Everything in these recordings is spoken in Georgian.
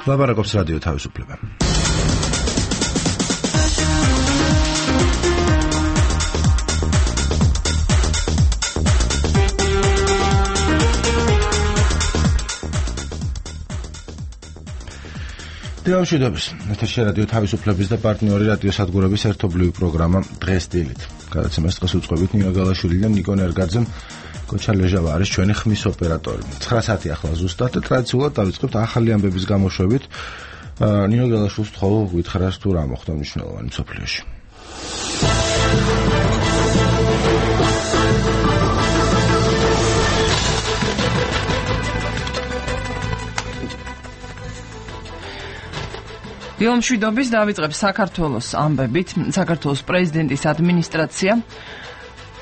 ლაპარაკობს რადიო თავისუფლება. დიალოგის ეთერში რადიო თავისუფლების და პარტნიორი რადიო სადგურების ერთობლივი პროგრამა დღეს დილით. გადაცემას დღეს უწყობთ ნინო გალაშვილი და ნიკო ნერგაძე. კოჩა ლეჟავა არის ჩვენი ხმის ოპერატორი. 9 საათი ახლა ზუსტად და ტრადიციულად დავიწყებთ ახალი ამბების გამოშვებით. ნინო გალაშვილს თხოვ გითხრას თუ რა მოხდა მნიშვნელოვანი მსოფლიოში. დილომშვიდობის დავიწყებს საქართველოს ამბებით. საქართველოს პრეზიდენტის ადმინისტრაცია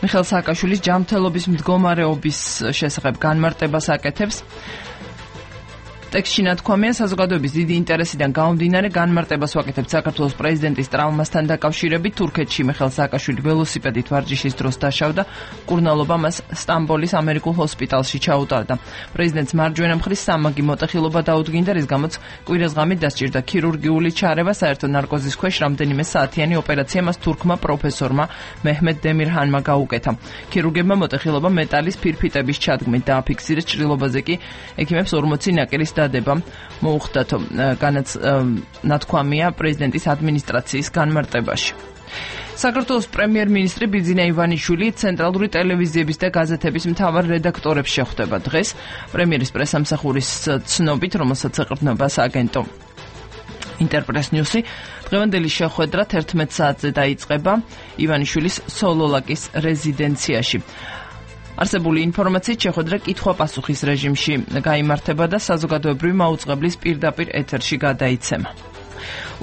მიხეილ სააკაშვილის ჯანმრთელობის მდგომარეობის შესახებ განმარტებას აკეთებს. ტექსტში ნათქვამია, საზოგადოების დიდი ინტერესიდან გამომდინარე განმარტებას ვაკეთებთ საქართველოს პრეზიდენტის ტრავმასთან დაკავშირებით. თურქეთში მიხეილ სააკაშვილი ველოსიპედით ვარჯიშის დროს დაშავდა, მკურნალობა მას სტამბოლის ამერიკულ ჰოსპიტალში ჩაუტარდა. პრეზიდენტს მარჯვენა მხრის სამაგი მოტეხილობა დაუდგინდა, რის გამოც კვირას ღამით დასჭირდა ქირურგიული ჩარევა. საერთო ნარკოზის ქვეშ რამდენიმე საათიანი ოპერაცია მას თურქმა პროფესორმა მეჰმედ დემირჰანმა გაუკეთა. ქირურგებმა მოტეხილობა მეტალის ფირფიტების ჩადგმით დააფიქსირეს, ჭრილობაზე კი ექიმებს 40 ნაკერის დადება მოუხდათ, ნათქვამია პრეზიდენტის ადმინისტრაციის განმარტებაში. საქართველოს პრემიერ-მინისტრი ბიძინა ივანიშვილი ცენტრალური ტელევიზიების და გაზეთების მთავარ რედაქტორებს შეხვდება დღეს. პრემიერის პრესამსახურის ცნობით, რომელსაც ეყრდნობა სააგენტო ინტერპრეს ნიუსი, დღევანდელი შეხვედრა 11 საათზე დაიწყება ივანიშვილის სოლოლაკის რეზიდენციაში. არსებული ინფორმაციით შეხვედრა კითხვა-პასუხის რეჟიმში გაიმართება და საზოგადოებრივი მაუწყებლის პირდაპირ ეთერში გადაიცემა.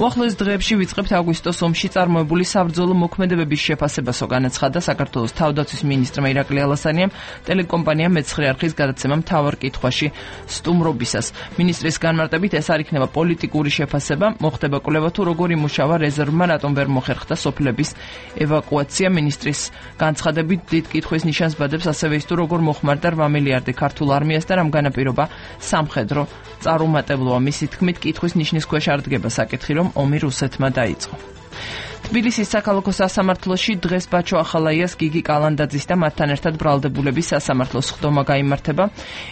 უახლოეს დღეებში ვიწყებთ აგვისტოს ომში წარმოებული საბრძოლო მოქმედებების შეფასებასო, განაცხადა საქართველოს თავდაცვის მინისტრმა ირაკლი ალასანიამ ტელეკომპანია მეცხრე არხის გადაცემა მთავარ კითხვაში სტუმრობისას. მინისტრის განმარტებით ეს არ იქნება პოლიტიკური შეფასება, მოხდება კვლევა თუ როგორ იმუშავა რეზერვმა, რატომ ვერ მოხერხდა სოფლების ევაკუაცია. მინისტრის განცხადებით დიდ კითხვის ნიშანს ბადებს ასევე ის თუ როგორ მოხმარდა 8 მილიარდი ქართულ არმიას და რამ განაპირობა სამხედრო წარუმატებლობა. მისი თქმით, კითხვის ნიშნის ქვეშ არ დგება საკითხი, რომ ომი რუსეთმა დაიწყო. თბილისის საქალაქო სასამართლოში დღეს ბაჩო ახალაიას, გიგი კალანდაძის და მათთან ერთად ბრალდებულების სასამართლოს ხდომა გაიმართება.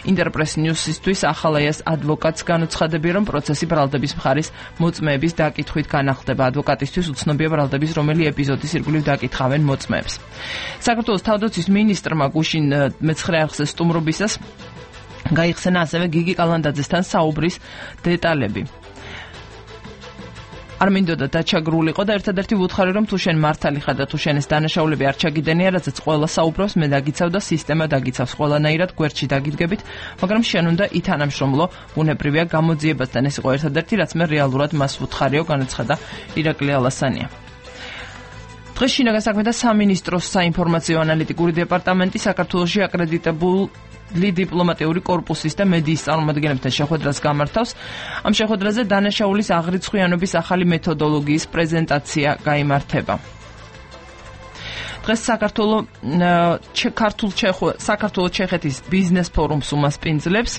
ინტერპრეს ნიუსისთვის ახალაიას ადვოკატს განუცხადებია, რომ პროცესი ბრალდების მხარის მოწმეების დაკითხვით განახლდება. ადვოკატისთვის უცნობია ბრალდების რომელი ეპიზოდის ირგვლივ დაკითხავენ მოწმეებს. საქართველოს თავდაცვის მინისტრმა გუშინ მეცხრე არხზე სტუმრობისას გაიხსენა ასევე გიგი კალანდაძესთან საუბრის დეტალები. არ მინდოდა დაჩაგრულიყო და ერთადერთი ვუთხარი, რომ თუ შენ მართალი ხარ და თუ შენ ეს დანაშაულები არ ჩაგიდენია, რადგან ყველა საუბრობს, მე დაგიცავ და სისტემა დაგიცავს, ყველანაირად გვერდში დაგიდგებით, მაგრამ შენ უნდა ითანამშრომლო, უნებრივია გამოძიებასთან. ეს იყო ერთადერთი, რაც მე რეალურად მას ვუთხარიო, განაცხადა ირაკლი ალასანია. დღეს შინაგან საქმეთა სამინისტროს საინფორმაციო ანალიტიკური დეპარტამენტი საქართველოში აკრედიტებულ დიპლომატიური კორპუსის და მედიის წარმომადგენლებთან შეხვედრას გამართავს. ამ შეხვედრაზე დანაშაულის აღრიცხვიანობის ახალი მეთოდოლოგიის პრეზენტაცია გაიმართება. დღეს საქართველო-ჩეხეთის ბიზნეს ფორუმს უმასპინძლებს.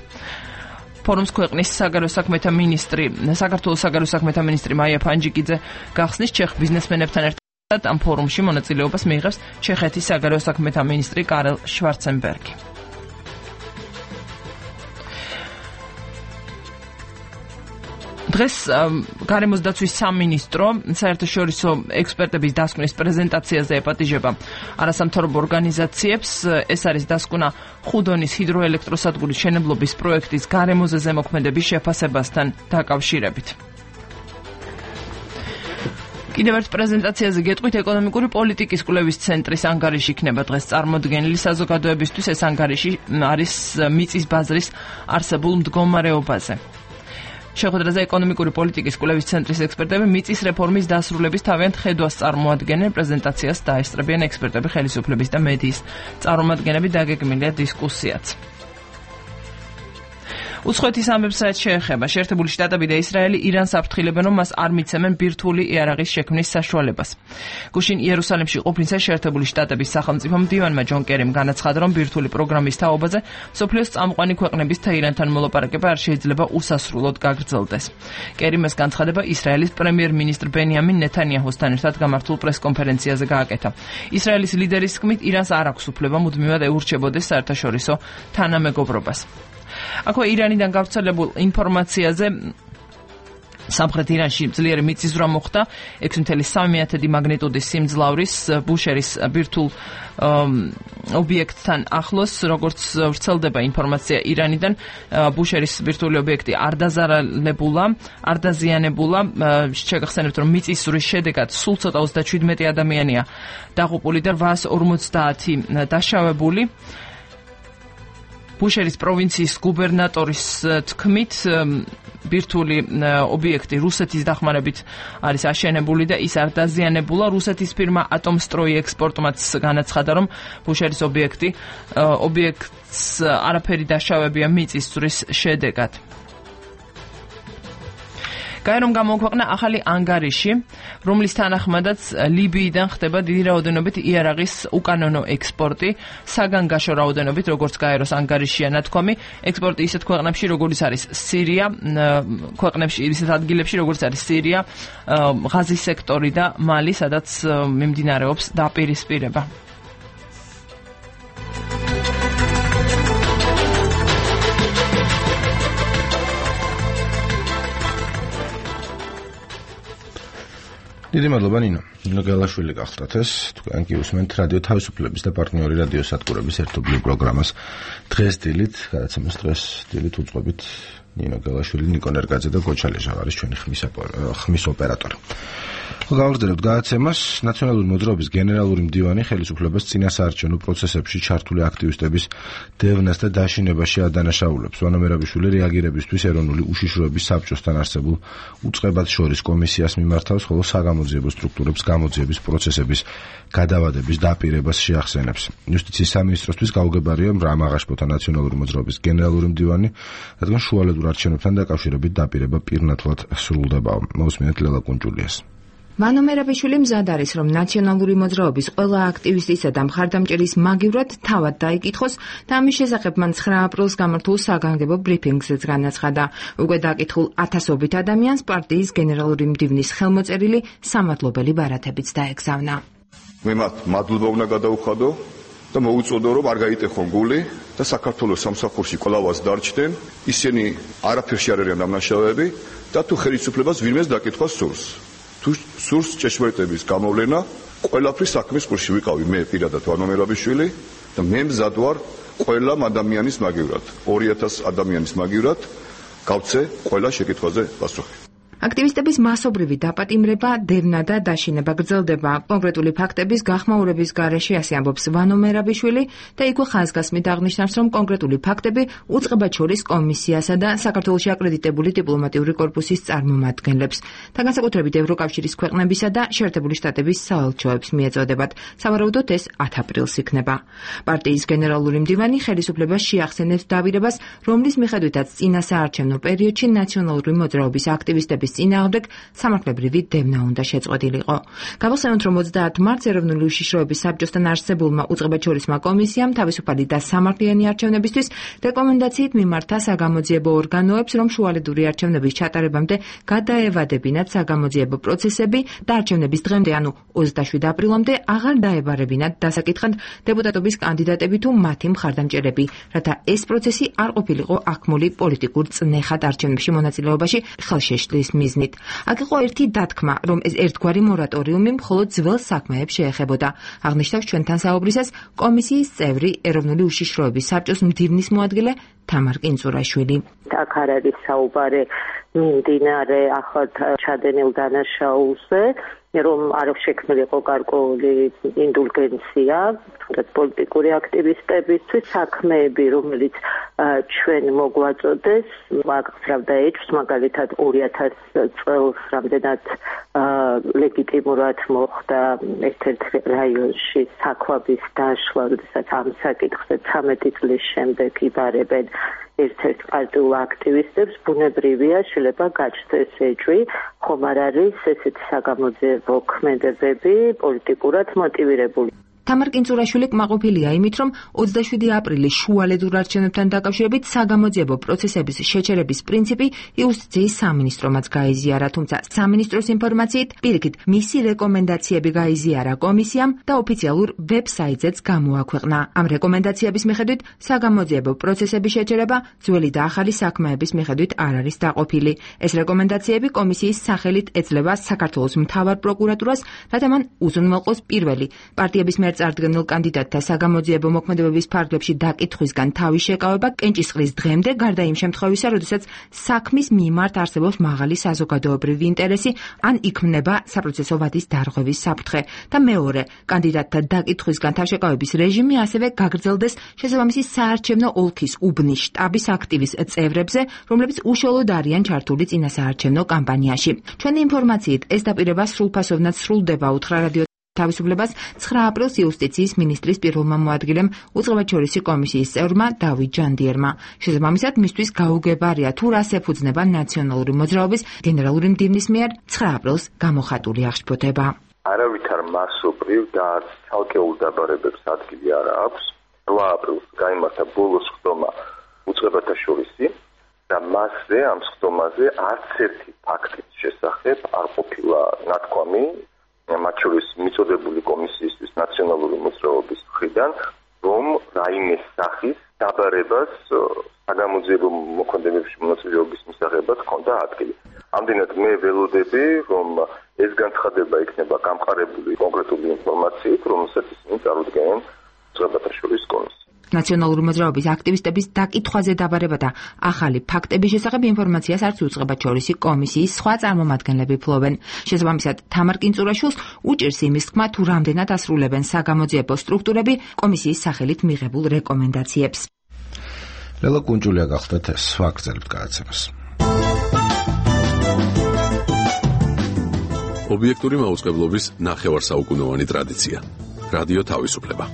ფორუმს ქვეყნის საგარეო საქმეთა მინისტრი მაია ფანჯიკიძე გახსნის. ჩეხ ბიზნესმენებთან ერთად ამ ფორუმში მონაწილეობას მიიღებს ჩეხეთის საგარეო საქმეთა მინისტრი კარელ შვარცენბერგი. დღეს გარემოს დაცვის სამინისტრო საერთაშორისო ექსპერტების დასკვნის პრეზენტაციაზე ეპატიჟება არასამთავრობო ორგანიზაციებს. ეს არის დასკვნა ხუდონის ჰიდროელექტროსადგურის მშენებლობის პროექტის გარემოზე ზემოქმედების შეფასებასთან დაკავშირებით. კიდევ ერთ პრეზენტაციაზე გეტყვით, ეკონომიკური პოლიტიკის კვლევის ცენტრის ანგარიში იქნება დღეს წარმოდგენილი. საზოგადოებისთვის ეს ანგარიში არის მიწის ბაზრის არსებულ მდგომარეობაზე. შეხვედრაზე ეკონომიკური პოლიტიკის კვლევის ცენტრის ექსპერტები მიწის რეფორმის დასრულების თავიანთ ხედვას წარმოადგენენ. პრეზენტაციას დაესწრებიან ექსპერტები, ხელისუფლების და მედიის წარმომადგენლები, დაგეგმილია დისკუსიაც. უცხოეთის ამბებსაც შეეხება შეერთებული შტატები და ისრაელი ირანს აფრთხილებენ, რომ მას არ მიცემენ ბირთვული იარაღის შექმნის საშუალებას. გუშინ იერუსალიმში ყოფნისას შეერთებული შტატების სახელმწიფო მდივანმა ჯონ კერიმ განაცხადა, რომ ბირთვული პროგრამის თაობაზე სოფლიოს წამყვანი ქვეყნების თეირანთან მოლაპარაკება არ შეიძლება უსასრულოდ გაგრძელდეს. კერიმ ეს განცხადება ისრაელის პრემიერ-მინისტრ ბენიამინ ნეთანიაჰუსთან ერთად გამართულ პრესკონფერენციაზე გააკეთა. ისრაელის ლიდერის თქმით, ირანს არ აქვს უფლება მუდმივად ეურჩებოდეს საერთაშორისო თანამეგობრობას. აქვე ირანიდან გავრცელებულ ინფორმაციაზე სამხრეთ ირანში ძლიერი მიწისძვრა მოხდა 6.3 მაგნიტუდის სიმძლავრის ბუშერის ბირთულ ობიექტთან ახლოს, როგორც ვრცელდება ინფორმაცია ირანიდან, ბუშერის ბირთვული ობიექტი არ დაზიანებულა. შეგახსენებთ, რომ მიწისძვრის შედეგად სულ ცოტა 37 ადამიანია დაღუპული და 850 დაშავებული. ბუშერის პროვინციის გუბერნატორის თქმით, ბირთვული ობიექტი რუსეთის დახმარებით არის აშენებული და ის არ დაზიანებულა. რუსეთის ფირმა ატომსტროი ექსპორტმაც განაცხადა, რომ ბუშერის ობიექტს არაფერი დაშავებია მიწისძვრის შედეგად. გაერომ გამოუქვეყნა ახალი ანგარიში, რომლის თანახმადაც ლიბიიდან ხდება დიდი რაოდენობით იარაღის უკანონო ექსპორტი, საგანგაშო რაოდენობით, როგორც გაეროს ანგარიშია ნათქვამი, ექსპორტი ისეთ ქვეყნებში, როგორც არის სირია, ისეთ ადგილებში, როგორც არის სირია, ღაზის სექტორი და მალი, სადაც მიმდინარეობს დაპირისპირება. დიდი მადლობა ნინო გელაშვილი გახლდათ ეს თქვენ კი უსმენთ რადიო თავისუფლების და პარტნიორი რადიო სადგურების ერთობლივ პროგრამას დღეს დილით, გადაცემას დღეს დილით უძღვებით ნინო გელაშვილი, ნიკო ნერგაძე და გოჩა ლეჟავარის ჩვენი ხმის ოპერატორი. გავაგრძელებთ გადაცემას. ნაციონალური მოძრაობის გენერალური მდივანი ხელისუფლებას წინასაარჩევნო პროცესებში ჩართული აქტივისტების დევნას და დაშინებაში ადანაშაულებს. ვანო მერაბიშვილი რეაგირებისთვის ეროვნული უშიშროების საბჭოსთან არსებულ უწყებად შორის კომისიას მიმართავს, ხოლო საგამოძიებო სტრუქტურებს გამოძიების პროცესების გადავადების დაპირებას შეახსენებს. იუსტიციის სამინისტროსთვის გაუგებარია რამ აღაშფოთა ნაციონალური მოძრაობის გენერალური მდივანი, რადგან შუალედურ არჩევნებთან დაკავშირებით დაპირება პირნათლად სრულდებაო. მოусმინეთ ლელა კუნჭულიას. ვანო მერაბიშვილი მზად არის, რომ ნაციონალური მოძრაობის ყველა აქტივისტისა და მხარდამჭერის მაგივრად თავად დაიკითხოს და ამის შესახებ მან 9 აპრილს გამართულ საგანგებო ბრიფინგზეც განაცხადა. უკვე დაკითხულ ათასობით ადამიანს პარტიის გენერალური მდივნის ხელმოწერილი სამადლობელი ბარათებიც დაეგზავნა. მე მათ მადლობა უნდა გადავუხადო და მოუწოდო, რომ არ გაიტეხონ გული და საქართველოს სამსახურში კვლავაც დარჩნენ. ისინი არაფერში არ არიან დამნაშავეები და თუ ხელისუფლებას ვინმეს დაკითხვა სურს. თუ სურს ჭეშმარიტების გამოვლენა, ყველაფრის საქმის ყურში ვიყავი მე პირადად ვანო მერაბიშვილი და მე მზად ვარ ყველა ადამიანის მაგივრად, 2000 ადამიანის მაგივრად გავცე ყველა შეკითხვაზე პასუხი. აქტივისტების მასობრივი დაპატიმრება, დევნა და დაშინება გრძელდება. კონკრეტული ფაქტების გახმაურების გარეშე ასე ამბობს ვანო მერაბიშვილი და იქვე ხაზგასმით აღნიშნავს, რომ კონკრეტული ფაქტები უწყებად შორის კომისიასა და საქართველოში აკრედიტებული დიპლომატიური კორპუსის წარმომადგენლებს და განსაკუთრებით ევროკავშირის ქვეყნებისა და შეერთებული შტატების საელჩოებს მიეწოდებათ. სავარაუდოდ ეს 10 აპრილს იქნება. პარტიის გენერალური მდივანი ხელისუფლებას შეახსენებს დაპირებას, რომლის მიხედვითაც წინასაარჩევნო პერიოდში ნაციონალური მოძრაობის აქტივისტების წინააღმდეგ სამართლებრივი დევნა უნდა შეწყვეტილიყო. გავახსენოთ, რომ 30 მარტს ეროვნული უშიშროების საბჭოსთან არსებულმა უწყებადშორისმა კომისიამ თავისუფალი და სამართლიანი არჩევნებისთვის რეკომენდაციით მიმართა საგამოძიებო ორგანოებს, რომ შუალედური არჩევნების ჩატარებამდე გადაევადებინათ საგამოძიებო პროცესები და არჩევნების დღემდე, ანუ 27 აპრილამდე აღარ დაებარებინათ დასაკითხად დეპუტატობის კანდიდატები თუ მათი მხარდამჭერები, რათა ეს პროცესი არ ყოფილიყო აქმული პოლიტიკურ წნეხად არჩევნებში მონაწილეობაში ხელშეშლის მიზნით. აქ იყო ერთი დათქმა, რომ ეს ერთგვარი მორატორიუმი მხოლოდ ძველ საქმეებს შეეხებოდა. აღნიშნავს ჩვენთან საუბრისას კომისიის წევრი ეროვნული უშიშროების საბჭოს მდივნის მოადგილე თამარ კინწურაშვილი. აქ არ არის საუბარი მიმდინარე ახალ ჩადენილ დანაშაულზე, რომ არ შექმნილიყო გარკვეული ინდულგენცია, თუნდაც პოლიტიკური აქტივისტებისთვის საქმეები, რომელიც ჩვენ მოგვაწოდეს, აღწევდა ეჭვს, მაგალითად 2000 წელს რამდენად ლეგიტიმურად მოხდა ერთ-ერთ რაიონში საქვაბის დაშლა, როდესაც ამ საკითხზე 13 წლის შემდეგ იბარებენ ერთ-ერთ პარტიულ აქტივისტებს ბუნებრივია შეიძლება გაჩნდეს ეჭვი, ხომ არ არის ესეთი საგამოძიებო ქმედებები პოლიტიკურად მოტივირებული. თამარ კინწურაშვილი კმაყოფილია იმით, რომ 27 აპრილის შუალედურ არჩევნებთან დაკავშირებით საგამოძიებო პროცესების შეჩერების პრინციპი იუსტიციის სამინისტრომაც გაიზიარა, თუმცა სამინისტროს ინფორმაციით პირიქით მისი რეკომენდაციები გაიზიარა კომისიამ და ოფიციალურ ვებსაიტზეც გამოაქვეყნა. ამ რეკომენდაციების მიხედვით საგამოძიებო პროცესების შეჩერება ძველი და ახალი საქმეების მიხედვით არ არის დაყოფილი. ეს რეკომენდაციები კომისიის სახელით ეძლევა საქართველოს მთავარ პროკურატურას, რათა მან უზრუნველყოს პირველი პარტიების მიერ წარდგენილ კანდიდატთა საგამოძიებო მოქმედებების ფარგლებში დაკითხვისგან თავის შეკავება კენჭისყრის დღემდე, გარდა იმ შემთხვევისა, როდესაც საქმის მიმართ არსებობს მაღალი საზოგადოებრივი ინტერესი ან იქმნება საპროცესო ვადის დარღვევის საფრთხე. და მეორე, კანდიდატთა დაკითხვისგან თავშეკავების რეჟიმი ასევე გაგრძელდეს შესაბამისი საარჩევნო ოლქის უბნის შტაბის აქტივის წევრებზე, რომლებიც უშუალოდ არიან ჩართული წინასაარჩევნო კამპანიაში. ჩვენი ინფორმაციით ეს დაპირება სრულფასოვნად სრულდება, უთხრა რადიო თავისუფლებას 9 აპრილს იუსტიციის მინისტრის პირველმა მოადგილემ უწყებაჩორისი კომისიის წევრმა დავით ჯანდიერმა. შესაბამისად, მისთვის გაუგებარია თუ რას ეფუძნება ნაციონალური მოძრაობის გენერალური მდივნის მიერ 9 აპრილს გამოხატული აღშფოთება. არავითარ მასობრივ და არც ცალკეულ დაბარებებს ადგილი არ აქვს. 8 აპრილს გაიმართა ბოლოს ხდომა უწყებაჩორისი და მასზე ამ ხდომაზე არც ერთი ფაქტის შესახებ არ ყოფილა ნათქვამი მათ შორის მიწოდებული კომისიისთვის ნაციონალური მოძრაობის მხრიდან, რომ რაიმე სახის დაბარებას საგამოძიებო მოქმედებებში მონაწილეობის მისაღებად ჰქონდა ადგილი. ამდენად მე ველოდები, რომ ეს განცხადება იქნება გამყარებული კონკრეტული ინფორმაციით, რომელსაც ისინი წარუდგენენ უწყებაჩორისის კომისიას. ნაციონალური მოძრაობის აქტივისტების დაკითხვაზე დაბარება და ახალი ფაქტების შესახებ ინფორმაციას არც უწყებაჩორისი კომისიის სხვა წარმომადგენლები ფლობენ. შესაბამისად, თამარ კინწურაშვილს უჭირს იმის თქმა, თუ რამდენად ასრულებენ საგამოძიებო სტრუქტურები კომისიის სახელით მიღებულ რეკომენდაციებს. ლელა კუნჭულია გახდათ ეს ვაგრძელებთ გადაცემას. ობიექტური მაუწყებლობის ნახევარსაუკუნოვანი ტრადიცია. რადიო თავისუფლება.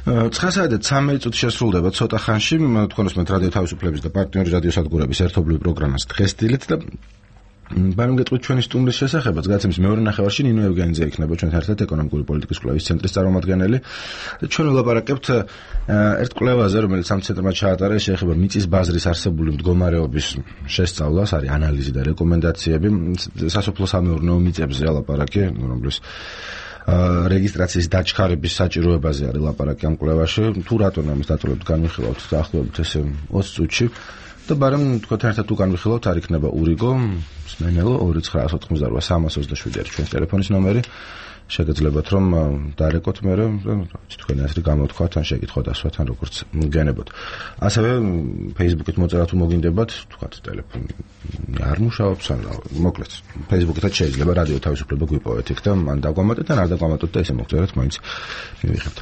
9:13 წუთი შესრულდება ცოტა ხანში, თქვენ უსმენთ რადიო თავისუფლების და პარტნიორი რადიოსადგურების ერთობლივ პროგრამას დღესდილით და ბარემ გეტყვით ჩვენი სტუმრის შესახებაც, გადაცემის მეორე ნახევარში ნინო ევგენიძე იქნება ჩვენთან ერთად ეკონომიკური პოლიტიკის კვლევის ცენტრის წარმომადგენელი. ჩვენ ვლაპარაკებთ ერთ კვლევაზე, რომელიც ამ ცენტრმა ჩაატარა, შეეხება მიწის ბაზრის არსებული მდგომარეობის შესწავლას, არის ანალიზი და რეკომენდაციები სასოფლო-სამეურნეო მიწებზე ლაპარაკი, რომლის რეგისტრაციის დაჩქარების საჭიროებაზე არის ლაპარაკი ამ კვლევაში. თუ რატომ ამის დაწოლებით განვიხილავთ დაახლოებით ესე 20 წუთში და ბარემ თქვენთან ერთად თუ განვიხილავთ, არ იქნება ურიგო, სმენელო 2988 არის ჩვენი ტელეფონის ნომერი. შეგეძლებათ რომ დარეკოთ მე თქვენი აზრი გამოთქვათ ან შეკითხოთ ასვათ ან როგორც გენებოთ. ასევე Facebook-ით მოწერა თუ მოგინდებათ, თქვათ ტელეფონი არ მუშაობს ან მოკლედ Facebook-ითაც შეიძლება რადიო თავისუფლება გვიპოვეთ იქ და მან დაგვამატეთ ან არ დაგვამატოთ და ესე მოგწერეთ მაინც მივიღებთ.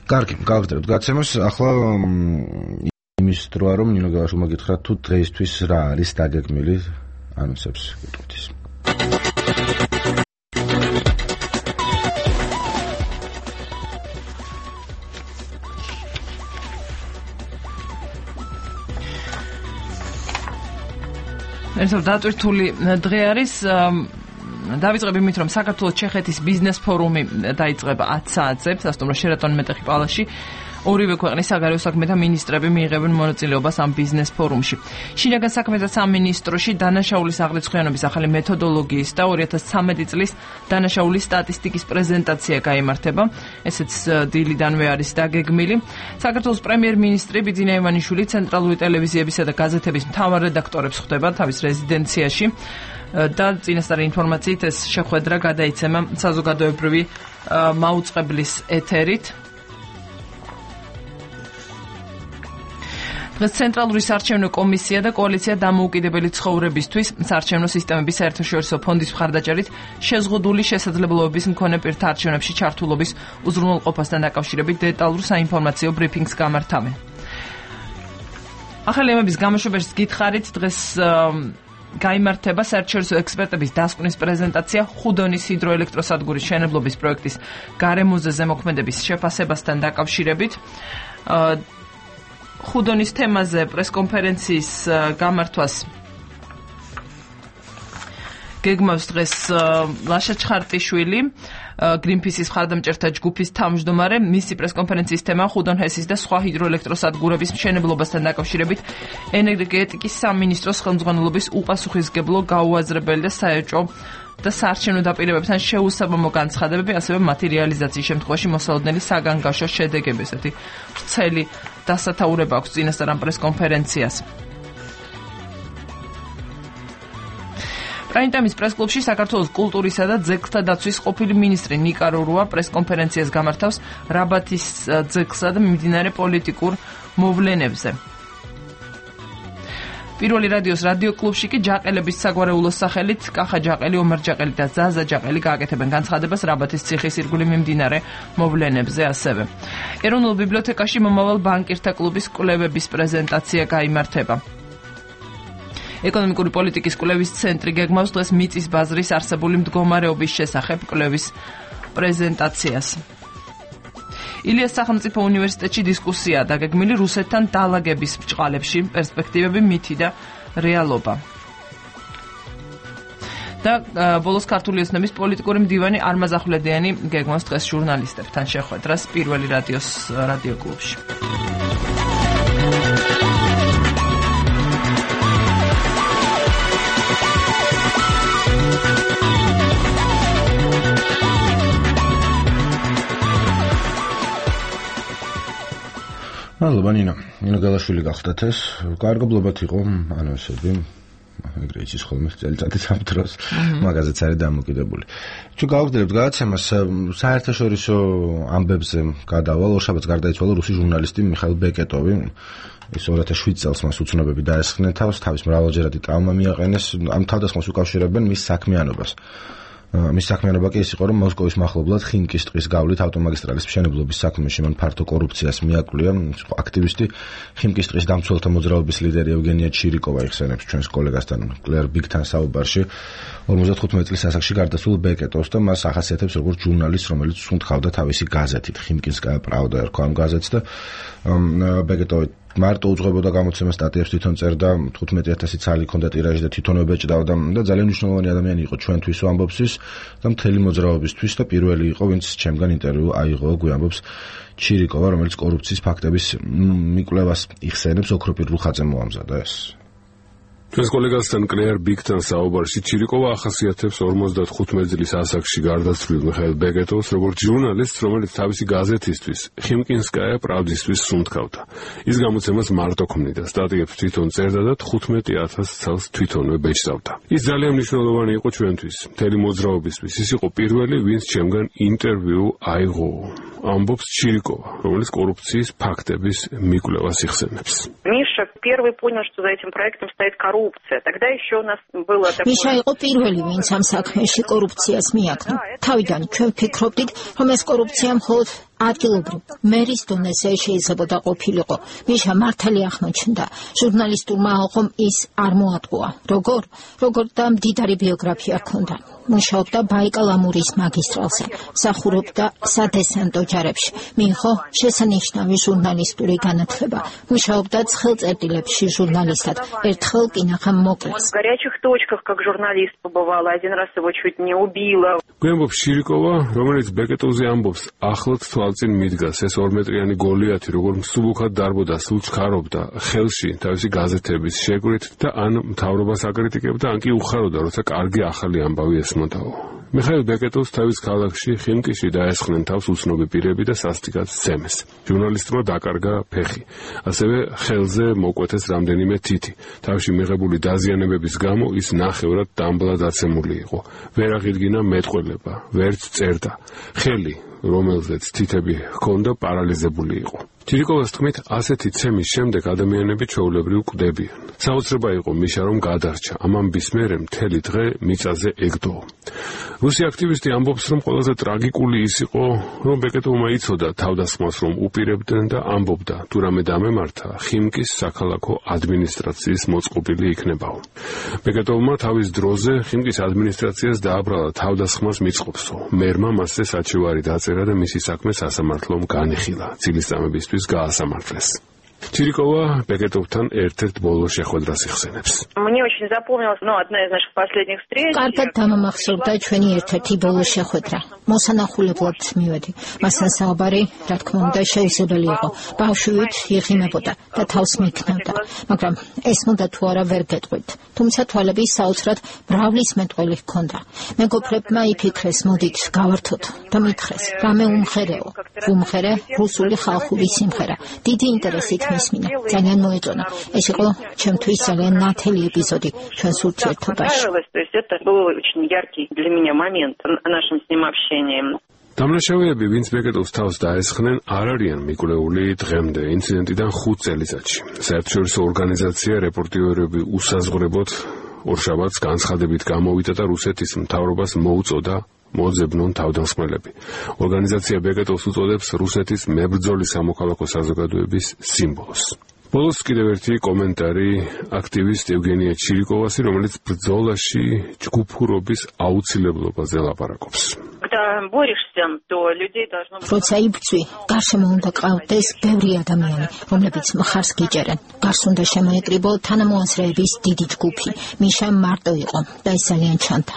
კარგი, გავაგრძელებთ გადაცემას. ახლა იმის დროა რომ ნინო გელაშვილმა გითხრათ თუ დღეისთვის რა არის დაგეგმილი ანონსებს გეტყვით ის. ერთად დატვირთული დღე არის. დავიწყებ იმით, რომ საქართველოს ჩეხეთის ბიზნეს ფორუმი დაიწყება 10 საათზე სასტუმრო შერატონ მეტეხი პალასში. ორივე ქვეყნის საგარეო საქმეთა მინისტრები მიიღებენ მონაწილეობას ამ ბიზნეს ფორუმში. შინაგან საქმეთა სამინისტროში დანაშაულის აღრიცხვიანობის ახალი მეთოდოლოგიის და 2013 წლის დანაშაულის სტატისტიკის პრეზენტაცია გაიმართება. ესეც დილიდანვე არის დაგეგმილი. საქართველოს პრემიერ-მინისტრი ბიძინა ივანიშვილი ცენტრალური ტელევიზიებისა და გაზეთების მთავარ რედაქტორებს ხვდება თავის რეზიდენციაში და წინასწარი ინფორმაციით ეს შეხვედრა გადაიცემა საზოგადოებრივი მაუწყებლის ეთერით. დღეს ცენტრალური საარჩევნო კომისია და კოალიცია დამოუკიდებელი ცხოვრებისთვის საარჩევნო სისტემების საერთაშორისო ფონდის მხარდაჭერით შეზღუდული შესაძლებლობების მქონე პირთა არჩევნებში ჩართულობის უზრუნველყოფასთან დაკავშირებით დეტალურ საინფორმაციო ბრიფინგს გამართავენ. ახალი ემების გამოშვებაში გითხარით, დღეს გაიმართება საერთაშორისო ექსპერტების დასკვნის პრეზენტაცია ხუდონის ჰიდროელექტროსადგურის მშენებლობის პროექტის გარემოზე ზემოქმედების შეფასებასთან დაკავშირებით. ხუდონის თემაზე პრესკონფერენციის გამართვას გეგმავს დღეს ლაშა ჩხარტიშვილი, Greenpeace-ის მხარდამჭერთა ჯგუფის თავმჯდომარე. მისი პრესკონფერენციის თემა ხუდონ-ჰესის და სხვა ჰიდროელექტროსადგურების მშენებლობასთან დაკავშირებით ენერგეტიკის სამინისტროს ხელმძღვანელობის უპასუხისმგებლო, გაუაზრებელი და საეჭვო და საარჩევნო დაპირებებთან შეუსაბამო განცხადებები, ასევე მათი რეალიზაციის შემთხვევაში მოსალოდნელი საგანგაშო შედეგები. ესეთი ვრცელი დასათაურება აქვს წინასწარ ამ პრესკონფერენციას. პრაიმ-ტაიმის პრეს-კლუბში საქართველოს კულტურისა და ძეგლთა დაცვის ყოფილი მინისტრი ნიკა რურუა პრესკონფერენციას გამართავს რაბათის ძეგლსა და მიმდინარე პოლიტიკურ მოვლენებზე. პირველი რადიოს რადიო კლუბში კი ჯაყელების საგვარეულოს სახელით კახა ჯაყელი, ომარ ჯაყელი და ზაზა ჯაყელი გააკეთებენ განცხადებას რაბათის ციხის ირგვლივ მიმდინარე მოვლენებზე ასევე. ეროვნულ ბიბლიოთეკაში მომავალ ბანკირთა კლუბის კვლევების პრეზენტაცია გაიმართება. ეკონომიკური პოლიტიკის კვლევის ცენტრი გეგმავს დღეს მიწის ბაზრის არსებული მდგომარეობის შესახებ კვლევის პრეზენტაციას. ილიას სახელმწიფო უნივერსიტეტში დისკუსია დაგეგმილი რუსეთთან დალაგების ბრჭყალებში, პერსპექტივები, მითი და რეალობა. და ბოლოს ქართული ოცნების პოლიტიკური მდივანი არმაზ ახვლედიანი გეგმავს დღეს ჟურნალისტებთან შეხვედრას პირველი რადიოს რადიო კლუბში. მადლობა ნინო გალაშვილი გახდათ ეს კარგობლობათ იყო ანონსები ეგრე იცის ხოლმე წელიწადის ამ დროს მაგაზეც არის დამოკიდებული თუ გავაგრძელებთ გადაცემას საერთაშორისო ამბებზე გადავალ ორშაბათს გარდაიცვალა რუსი ჟურნალისტი მიხაილ ბეკეტოვი ის 2007 წელს მას უცნობები დაესხნენ თავს თავის მრავალჯერადი ტრავმა მიაყენეს ამ თავდასხმას უკავშირებენ მის საქმიანობას მის საქმიანობა კი ის იყო, რომ მოსკოვის მახლობლად ხინკის ტყის გავლით ავტომაგისტრალის მშენებლობის საქმეში მან ფართო კორუფციას მიაკვლია. აქტივისტი ხინკის ტყის დამცველთა მოძრაობის ლიდერი ევგენია ჩირიკოვა იხსენებს ჩვენს კოლეგასთან კლერ ბიგთან საუბარში 55 წლის ასაკში გარდაცვალ ბეკეტოვს და მას ახასიათებს როგორც ჟურნალისტს, რომელიც სუნთქავდა თავისი გაზეთით ხინკინსკაია პრავდა ერქვა ამ გაზეთს და ბეკეტოვი მარტო უძღვებოდა გამოცემას სტატიებს თვითონ წერდა 15000 ცალი ჰქონდა ტირაჟი და თვითონვე ბეჭდავდა და ძალიან მნიშვნელოვანი ადამიანი იყო ჩვენთვის ამბობს ის და მთელი მოძრაობისთვის და პირველი იყო ვინც ჩემგან ინტერვიუ აიღო გვამბობს ჩირიკოვა რომელიც კორუფციის ფაქტების მიკვლევას იხსენებს ოქროპირ რუხაძე მოამზადა ეს ჩვენს კოლეგასთან კლერ ბიგთან საუბარში ჩირიკოვა ახასიათებს 55 წლის ასაკში გარდაცვლილ მიხაილ ბეკეტოვს როგორც ჟურნალისტს, რომელიც თავისი გაზეთისთვის ხინკინსკაია პრავდისთვის სუნთქავდა. ის გამოცემას მარტო ქმნიდა, სტატიებს თვითონ წერდა და 15000 ცალს თვითონვე ბეჭდავდა. ის ძალიან მნიშვნელოვანი იყო ჩვენთვის, მთელი მოძრაობისთვის. ის იყო პირველი, ვინც ჩემგან ინტერვიუ აიღო. Амбобс Чирикова, რომელიც коррупцიის фактების მიკვლევას იხსენებს. Миша первый понял, что за этим проектом стоит коррупция. Тогда еще у нас было такое. Миша იყო პირველი, ვინც ამ საქმეში კორუფციას მიაკნო. თავიდან ჩვენ ფიქრობდით, რომ ეს კორუფცია მხოლოდ ადგილობრივ მერის დონეზე შეიძლებოდა ყოფილიყო. მიშა მართალი აღმოჩნდა. ჟურნალისტურმა ალყომ ის არ მოატყუა. როგორ და მდიდარი ბიოგრაფია ჰქონდა. მუშაობდა ბაიკალ-ამურის მაგისტრალზე, მსახურობდა სადესანტო ჯარებში. მიიღო შესანიშნავი ჟურნალისტური განათლება. მუშაობდა ცხელწერტილებში ჟურნალისტად. ერთხელ კი ნახა მოკლეს. В горячих точках как журналист побывала, один раз его чуть не убила. გვემბობს შირიკოვა, რომელიც ბეკეტოვზე ამბობს, ახლად თვალწინ მიდგას ეს 2 მეტრიანი გოლიათი, როგორ მსუბუქად დარბოდა, სულ ჩქარობდა ხელში თავისი გაზეთების შეკვრით და ან მთავრობას აკრიტიკებდა, ან კი უხაროდა, როცა კარგი ახალი ამბავი ესმოდაო. მიხაილ ბეკეტოვს თავის ქალაქში ხინკიში დაესხნენ თავს უცნობი პირები და სასტიკად სცემეს. ჟურნალისტმა დაკარგა ფეხი, ასევე ხელზე მოკვეთეს რამდენიმე თითი. თავში მიღებული დაზიანებების გამო ის ნახევრად დამბლად დაცემული იყო. ვერ აღიდგინა მეტყველება, ვერც წერდა. ხელი, რომელზეც თითები ჰქონდა, პარალიზებული იყო. ჩირიკოვას თქმით, ასეთი ცემის შემდეგ ადამიანები ჩვეულებრივ კვდებიან. საოცრება იყო მიშა რომ გადარჩა. ამ ამბის მერე მთელი დღე მიწაზე ეგდო. რუსი აქტივისტი ამბობს, რომ ყველაზე ტრაგიკული ის იყო, რომ ბეკეტოვმა იცოდა თავდასხმას რომ უპირებდნენ და ამბობდა, თუ რამე დამემართა, ხიმკის საქალაქო ადმინისტრაციის მოწყობილი იქნებაო. ბეკეტოვმა თავის დროზე ხიმკის ადმინისტრაციას დააბრალა თავდასხმას მიწყობსო. მერმა მასზე საჩივარი დაწერა და მისი საქმე სასამართლომ განიხილა. წილისწამებისთვის გაასამართლეს. ჩირიკოვა ბეკეტოვთან ერთ-ერთ ბოლო შეხვედრას იხსენებს. Мне очень запомнилась, одна из наших последних встреч. კარგად დამამახსოვრდა ჩვენი ერთ-ერთი ბოლო შეხვედრა. მოსანახულებლად მივედი. მასთან საუბარი, რა თქმა უნდა, შეუძლებელი იყო. ბავშვით იღიმებოდა და თავს მიქნევდა, მაგრამ ეს მოდა თუ არა ვერ გეტყვით. თუმცა თვალები საოცრად მრავლის მეტყველი ჰქონდა. მეგობრებმა იფიქრეს, მოდით გავართოთ და მითხრეს, რამე უმღერეო. უმღერე რუსული ხალხური სიმღერა. დიდი ინტერესით მისმინა. ძალიან მოეწონა. ეს იყო ჩემთვის ძალიან ნათელი ეპიზოდი ჩვენს ურთიერთობაში. Это был очень яркий для меня момент в нашем с ним общении. დამნაშავეები, ვინც ბეკეტოვს თავს დაესხნენ, არ არიან მიკვლეული დღემდე ინციდენტიდან 5 წელიწადში. საერთაშორისო ორგანიზაცია რეპორტიორები უსაზღვრებოდ ორშაბათს განცხადებით გამოვიდა და რუსეთის მთავრობას მოუწოდა მოძებნონ თავდამსხმელები. ორგანიზაცია ბეკეტოვს უწოდებს რუსეთის მებრძოლი სამოქალაქო საზოგადოების სიმბოლოს. ბოლოს კიდევ ერთი კომენტარი აქტივისტ ევგენია ჩირიკოვასი, რომელიც ბრძოლაში ჯგუფურობის აუცილებლობაზე ლაპარაკობს. როცა იბრძვი, გარშემო უნდა ყავდეს ბევრი ადამიანი, რომლებიც მხარს გიჭერენ. გარს უნდა შემოეკრიბო თანამოაზრეების დიდი ჯგუფი. მიშა მარტო იყო და ეს ძალიან ჩანდა.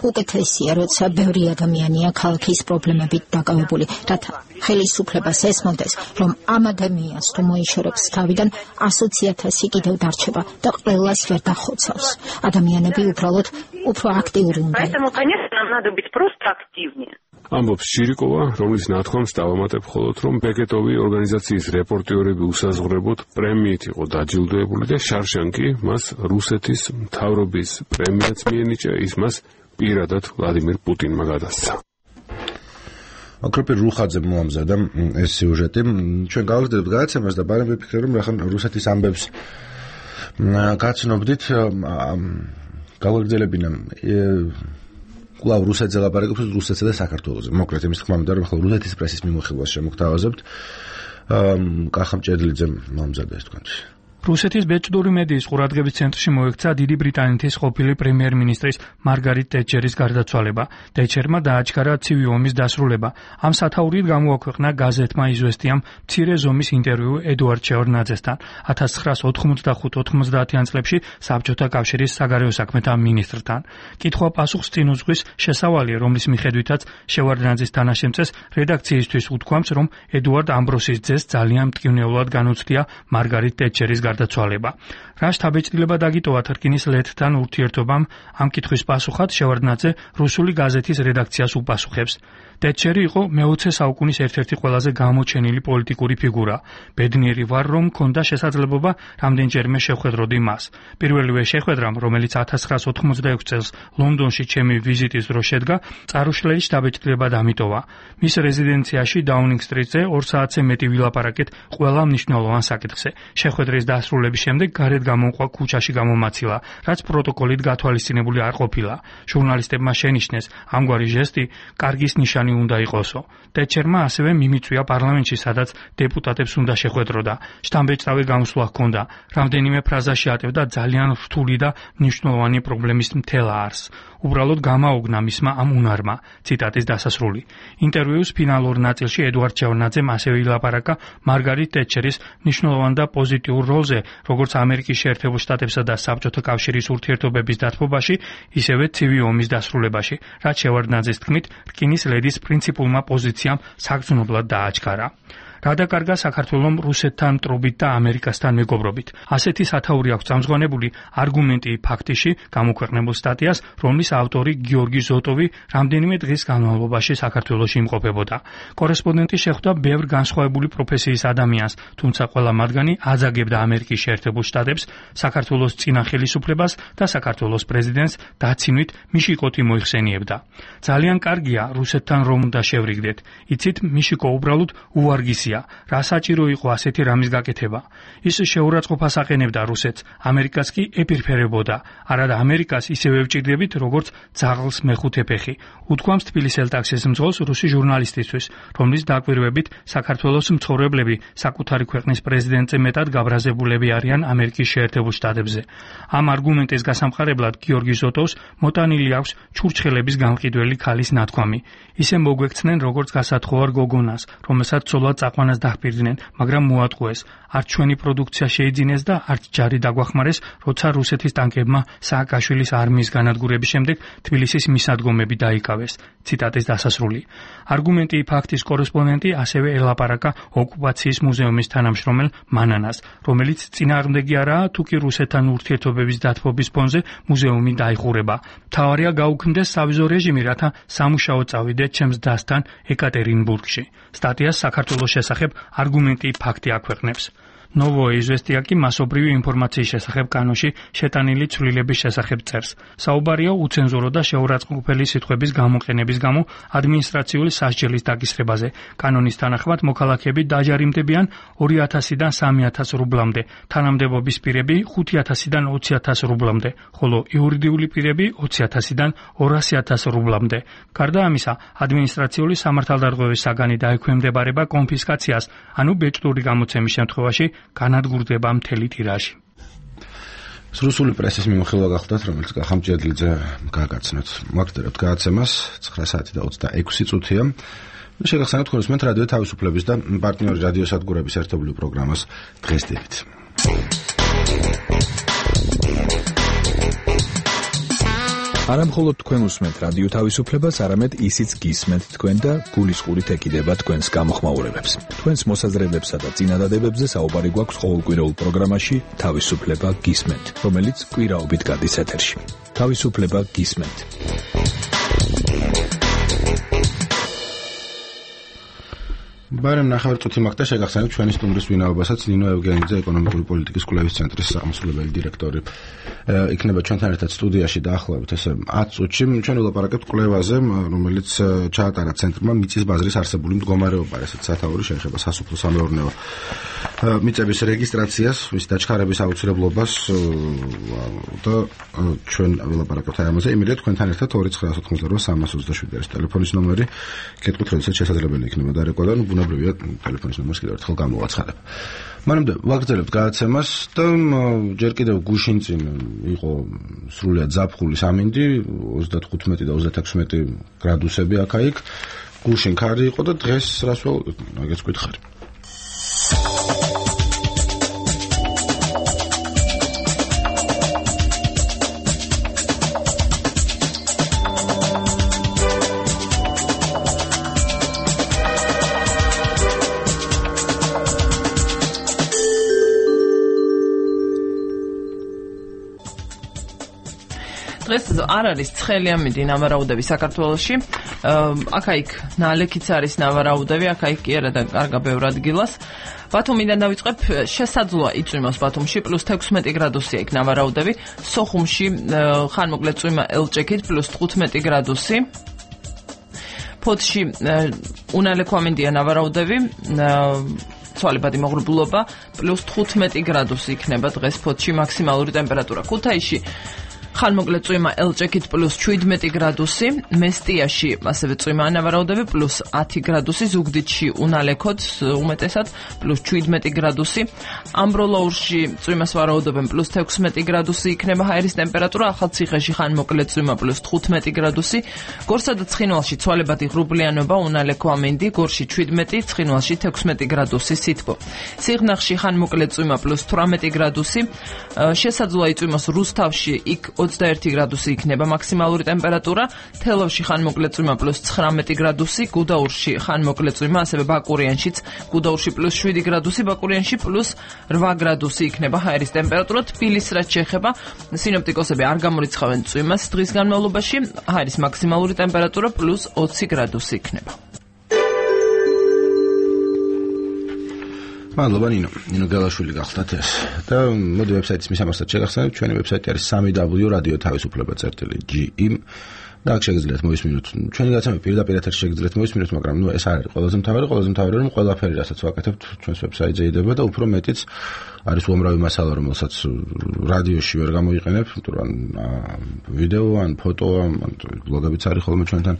უკეთესია, როცა ბევრი ადამიანია ქალაქის პრობლემებით დაკავებული, რათა ხელისუფლებას ესმოდეს, რომ ამ ადამიანს თუ მოიშორებს თავიდან 100,000 კიდევ დარჩება და ყველას ვერ დახოცავს. ადამიანები უბრალოდ უფრო აქტიური უნდა. Поэтому, конечно, нам надо быть просто активнее. ამბობს ჩირიკოვა, რომლის ნათქვამს დავამატებ მხოლოდ, რომ ბეკეტოვი ორგანიზაციის რეპორტიორები უსაზღვრებოდ პრემიით იყო დაჯილდოებული და შარშანკი მას რუსეთის მთავრობის პრემიაც მიენიჭა, ის მას პირადად ვლადიმირ პუტინმა გადასცა. აკროპი რუხაძე მოამზადა ეს სიუჟეტი. ჩვენ გავაგზავნებთ გადაცემას და ბარემ ვიფიქრე, რომ რახან რუსეთის ამბებს გაცნობდით, გავაგრძელებინა კვლავ რუსეთზე ლაპარაკობს, რუსეთსა და საქართველოზე. მოკლედ იმის თქმა მინდა, რომ ახლა რუსეთის პრესის მიმოხილვას შემოგთავაზებთ. კახა მჭედლიძემ მომზადა ეს თქვენთვის. რუსეთის ბეჭდური მედიის ყურადღების ცენტრში მოექცა დიდი ბრიტანეთის ყოფილი პრემიერ-მინისტრის მარგარიტ ტეტჩერის გარდაცვალება. ტეტჩერმა დააჩქარა ცივი ომის დასრულება. ამ სათაურით გამოაქვეყნა გაზეთმა იზვესტიამ მცირე ზომის ინტერვიუ ედუარდ შევარდნაძესთან 1985-90-იან წლებში საბჭოთა კავშირის საგარეო საქმეთა მინისტრთან. კითხვა-პასუხს წინ უძღვის შესავალი, რომლის მიხედვითაც შევარდნაძის თანაშემწეს რედაქციისთვის უთქვამს, რომ ედუარდ ამბროსის ძეს ძალიან მტკივნეულად განუცდია მარგარიტ ტეტჩერის გარდაცვალება. რა შთაბეჭდილება დაგიტოვა თრკინის ლეთთან ურთიერთობამ, ამ კითხვის პასუხად შევარდნაძე რუსული გაზეთის რედაქციას უპასუხებს. ტეტჩერი იყო მე-20 საუკუნის ერთ-ერთი ყველაზე გამოჩენილი პოლიტიკური ფიგურა. ბედნიერი ვარ, რომ მქონდა შესაძლებლობა რამდენჯერმე შეხვედროდი მას. პირველივე შეხვედრამ, რომელიც 1986 წელს ლონდონში ჩემი ვიზიტის დროს შედგა, წარუშლელი შთაბეჭდილება დამიტოვა. მის რეზიდენციაში დაუნინგ სტრიტზე 2 საათზე მეტი ვილაპარაკეთ ყველა მნიშვნელოვან საკითხზე. შეხვედრის დასრულების შემდეგ გარეთ გამომყვა ქუჩაში გამომაცილა, რაც პროტოკოლით გათვალისწინებული არ ყოფილა. ჟურნალისტებმა შენიშნეს, ამგვარი ჟესტი კარგის ნიშანი უნდა იყოსო. ტეტჩერმა ასევე მიმიწვია პარლამენტში, სადაც დეპუტატებს უნდა შეხვედროდა. შთამბეჭდავი გამოსვლა ჰქონდა. რამდენიმე ფრაზაში ატევდა ძალიან რთული და მნიშვნელოვანი პრობლემის მთელ არსს. უბრალოდ გამაოგნა მისმა ამ უნარმა. ციტატის დასასრული. ინტერვიუს ფინალურ ნაწილში ედუარდ შევარდნაძემ ასევე ილაპარაკა მარგარიტ ტეტჩერის მნიშვნელოვან და პოზიტიურ როლზე, როგორც ამერიკის შეერთებულ შტატებსა და საბჭოთა კავშირის ურთიერთობების დათბობაში, ისევე ცივი ომის დასრულებაში, რაც შევარდნაძის თქმით, რკინის ლედის პრინციპულმა პოზიციამ საგრძნობლად დააჩქარა. რა დაკარგა საქართველომ რუსეთთან მტრობით და ამერიკასთან მეგობრობით. ასეთი სათაური აქვს წამზღვანებული არგუმენტი ფაქტიში გამოქვეყნებულ სტატიას, რომლის ავტორი გიორგი ზოტოვი რამდენიმე დღის განმავლობაში საქართველოში იმყოფებოდა. კორესპონდენტი შეხვდა ბევრ განსხვავებული პროფესიის ადამიანს, თუმცა ყველა მათგანი აძაგებდა ამერიკის შეერთებულ შტატებს, საქართველოს წინა ხელისუფლებას და საქართველოს პრეზიდენტს დაცინვით მიშიკოთი მოიხსენიებდა. ძალიან კარგია რუსეთთან რომ უნდა შევრიგდეთ. იცით, მიშიკო უბრალოდ უვარგისია. რა საჭირო იყო ასეთი რამის გაკეთება. ის შეურაცხყოფას აყენებდა რუსეთს, ამერიკას კი ეპირფერებოდა. არადა ამერიკას ისევე ვჭირდებით, როგორც ძაღლს მეხუთე ფეხი. უთქვამს თბილისის ელტაქსის მძღოლს რუსი ჟურნალისტისთვის, რომლის დაკვირვებით საქართველოს მცხოვრებლები საკუთარი ქვეყნის პრეზიდენტზე მეტად გაბრაზებულები არიან ამერიკის შეერთებულ შტატებზე. ამ არგუმენტის გასამყარებლად გიორგი ზოტოვს მოტანილი აქვს ჩურჩხელების გამყიდველი ქალის ნათქვამი. ისე მოგვექცნენ როგორც გასათხოვარ გოგონას, რომელსაც ცოლად წაყვანილი სხვანას დაჰპირდნენ, მაგრამ მოატყუეს. არც ჩვენი პროდუქცია შეიძინეს და არც ჯარი დაგვახმარეს, როცა რუსეთის ტანკებმა სააკაშვილის არმიის განადგურების შემდეგ თბილისის მისადგომები დაიკავეს. ციტატის დასასრული. არგუმენტი ფაქტის კორესპონდენტი ასევე ელაპარაკა ოკუპაციის მუზეუმის თანამშრომელ მანანას, რომელიც წინააღმდეგი არაა, თუ კი რუსეთთან ურთიერთობების დათბობის ფონზე მუზეუმი დაიხურება. მთავარია გაუქმდეს სავიზო რეჟიმი, რათა სამუშაო წავიდეთ ჩემს დასთან ეკატერინბურგში. სტატიას საქართველოს შესახებ არგუმენტი ფაქტი აქვეყნებს. Novoe Izvestia კი მასობრივი ინფორმაციის შესახებ კანონში შეტანილი ცვლილების შესახებ წერს. საუბარია უცენზურო და შეურაცხმყოფელი სიტყვების გამოყენების გამო ადმინისტრაციული სასჯელის დაკისრებაზე. კანონის თანახმად მოქალაქეები დაჯარიმდებიან 2000-დან 3000 რუბლამდე, თანამდებობის პირები 5000-დან 20000 რუბლამდე, ხოლო იურიდიული პირები 20000-დან 200000 რუბლამდე. გარდა ამისა, ადმინისტრაციული სამართალდარღვევის საგანი დაექვემდებარება კონფისკაციას, ანუ ბეჭდური გამოცემის შემთხვევაში განადგურდება მთელი ტირაჟი. რუსული პრესის მიმოხილვა გახლდათ, რომელიც ხამჭედლიძე გააგაცნოთ. მოგხდერებთ გადაცემას 9 საათი და 26 წუთია. შეგახსენებთ თქვენ უსმენთ რადიო თავისუფლების და პარტნიორი რადიოსადგურების ერთობლივ პროგრამას დღეს დილით. არა მხოლოდ თქვენ უსმენთ რადიო თავისუფლებას, არამედ ისიც გისმენთ თქვენ და გულისყურით ეკიდება თქვენს გამოხმაურებებს. თქვენს მოსაზრებებსა და წინადადებებზე საუბარი გვაქვს ყოველკვირეულ პროგრამაში თავისუფლება გისმენთ, რომელიც კვირაობით გადის ეთერში. თავისუფლება გისმენთ. ბარემ ნახევარწუთი მაგდა შეგახსენებთ ჩვენი სტუმრის ვინაობასაც ნინო ევგენიძე ეკონომიკური პოლიტიკის კვლევის ცენტრის აღმასრულებელი დირექტორი. იქნება ჩვენთან ერთად სტუდიაში დაახლოებით ესე 10 წუთში ჩვენ ვილაპარაკებთ კვლევაზე, რომელიც ჩაატარა ცენტრმა მიწის ბაზრის არსებული მდგომარეობა, ესეც სათაური შეეხება სასოფლო-სამეურნეო მიწების რეგისტრაციას, მის დაჩქარების აუცილებლობას და ჩვენ ვილაპარაკებთ ამაზე. იმედია თქვენთან ერთად 2988327 არის ტელეფონის ნომერი. კითხოთ, როდესაც შესაძლებელი იქნება დარეკვა და ბუნებრივია ტელეფონის ნომერს კიდევ ერთხელ გამოვაცხადებ. მანამდე ვაგრძელებთ გადაცემას და ჯერ კიდევ გუშინ წინ იყო სრულიად ზაფხულის ამინდი 35 და 36 გრადუსები აქ-იქ. გუშინ ქარი იყო და დღეს რას ველოდოთ? მაგაც გითხარი. დღეს არ არის ცხელი ამინდი ნავარაუდები საქართველოში. აქ-იქ ნალექიც არის ნავარაუდები, აქ-იქ კი არა და კარგა ბევრ ადგილას. ბათუმიდან დავიწყებ, შესაძლოა იწვიმოს ბათუმში +16 გრადუსია იქ ნავარაუდები. სოხუმში ხანმოკლე წვიმა ელჭექით +15 გრადუსი. ფოთში უნალექო ამინდია ნავარაუდები. ცვალებადი მოღრუბლობა +15 გრადუსი იქნება დღეს ფოთში მაქსიმალური ტემპერატურა. ქუთაისში ხანმოკლე წვიმა ელჭექით +17 გრადუსი, მესტიაში ასევე წვიმა ანავარაუდები +10 გრადუსი, ზუგდიდში უნალექოთ უმეტესად +17 გრადუსი, ამბროლაურში წვიმას ვარაუდობენ +16 გრადუსი იქნება ჰაერის ტემპერატურა, ახალციხეში ხანმოკლე წვიმა +15 გრადუსი, გორსა და ცხინვალში ცვალებადი ღრუბლიანობა, უნალექო ამინდი, გორში 17, ცხინვალში 16 გრადუსი სითბო. სიღნაღში ხანმოკლე წვიმა +18 გრადუსი, შესაძლოა იწვიმოს რუსთავში იქ 21 გრადუსი იქნება მაქსიმალური ტემპერატურა, თელავში ხანმოკლე წვიმა +19 გრადუსი, გუდაურში ხანმოკლე წვიმა, ასევე ბაკურიანშიც, გუდაურში +7 გრადუსი, ბაკურიანში +8 გრადუსი იქნება ჰაერის ტემპერატურა. თბილისს რაც შეეხება, სინოპტიკოსები არ გამორიცხავენ წვიმას დღის განმავლობაში, ჰაერის მაქსიმალური ტემპერატურა +20 გრადუსი იქნება. მადლობა ნინო გელაშვილი გახლდათ ეს და მოდი ვებსაიტის მისამართად შეგახსენებთ. ჩვენი ვებსაიტი არის www.radioთავისუფლება.gr და აქ შეგიძლიათ მოისმინოთ ჩვენი გადაცემა პირდაპირ ეთერში შეგიძლიათ მოისმინოთ, მაგრამ ეს არ არის ყველაზე მთავარი რომ ყველაფერი რასაც ვაკეთებთ ჩვენს ვებსაიტზე იდება და უფრო მეტიც არის უამრავი მასალა, რომელსაც რადიოში ვერ გამოიყენებ, ან ვიდეო, ან ფოტო, ან ბლოგებიც არის ხოლმე ჩვენთან.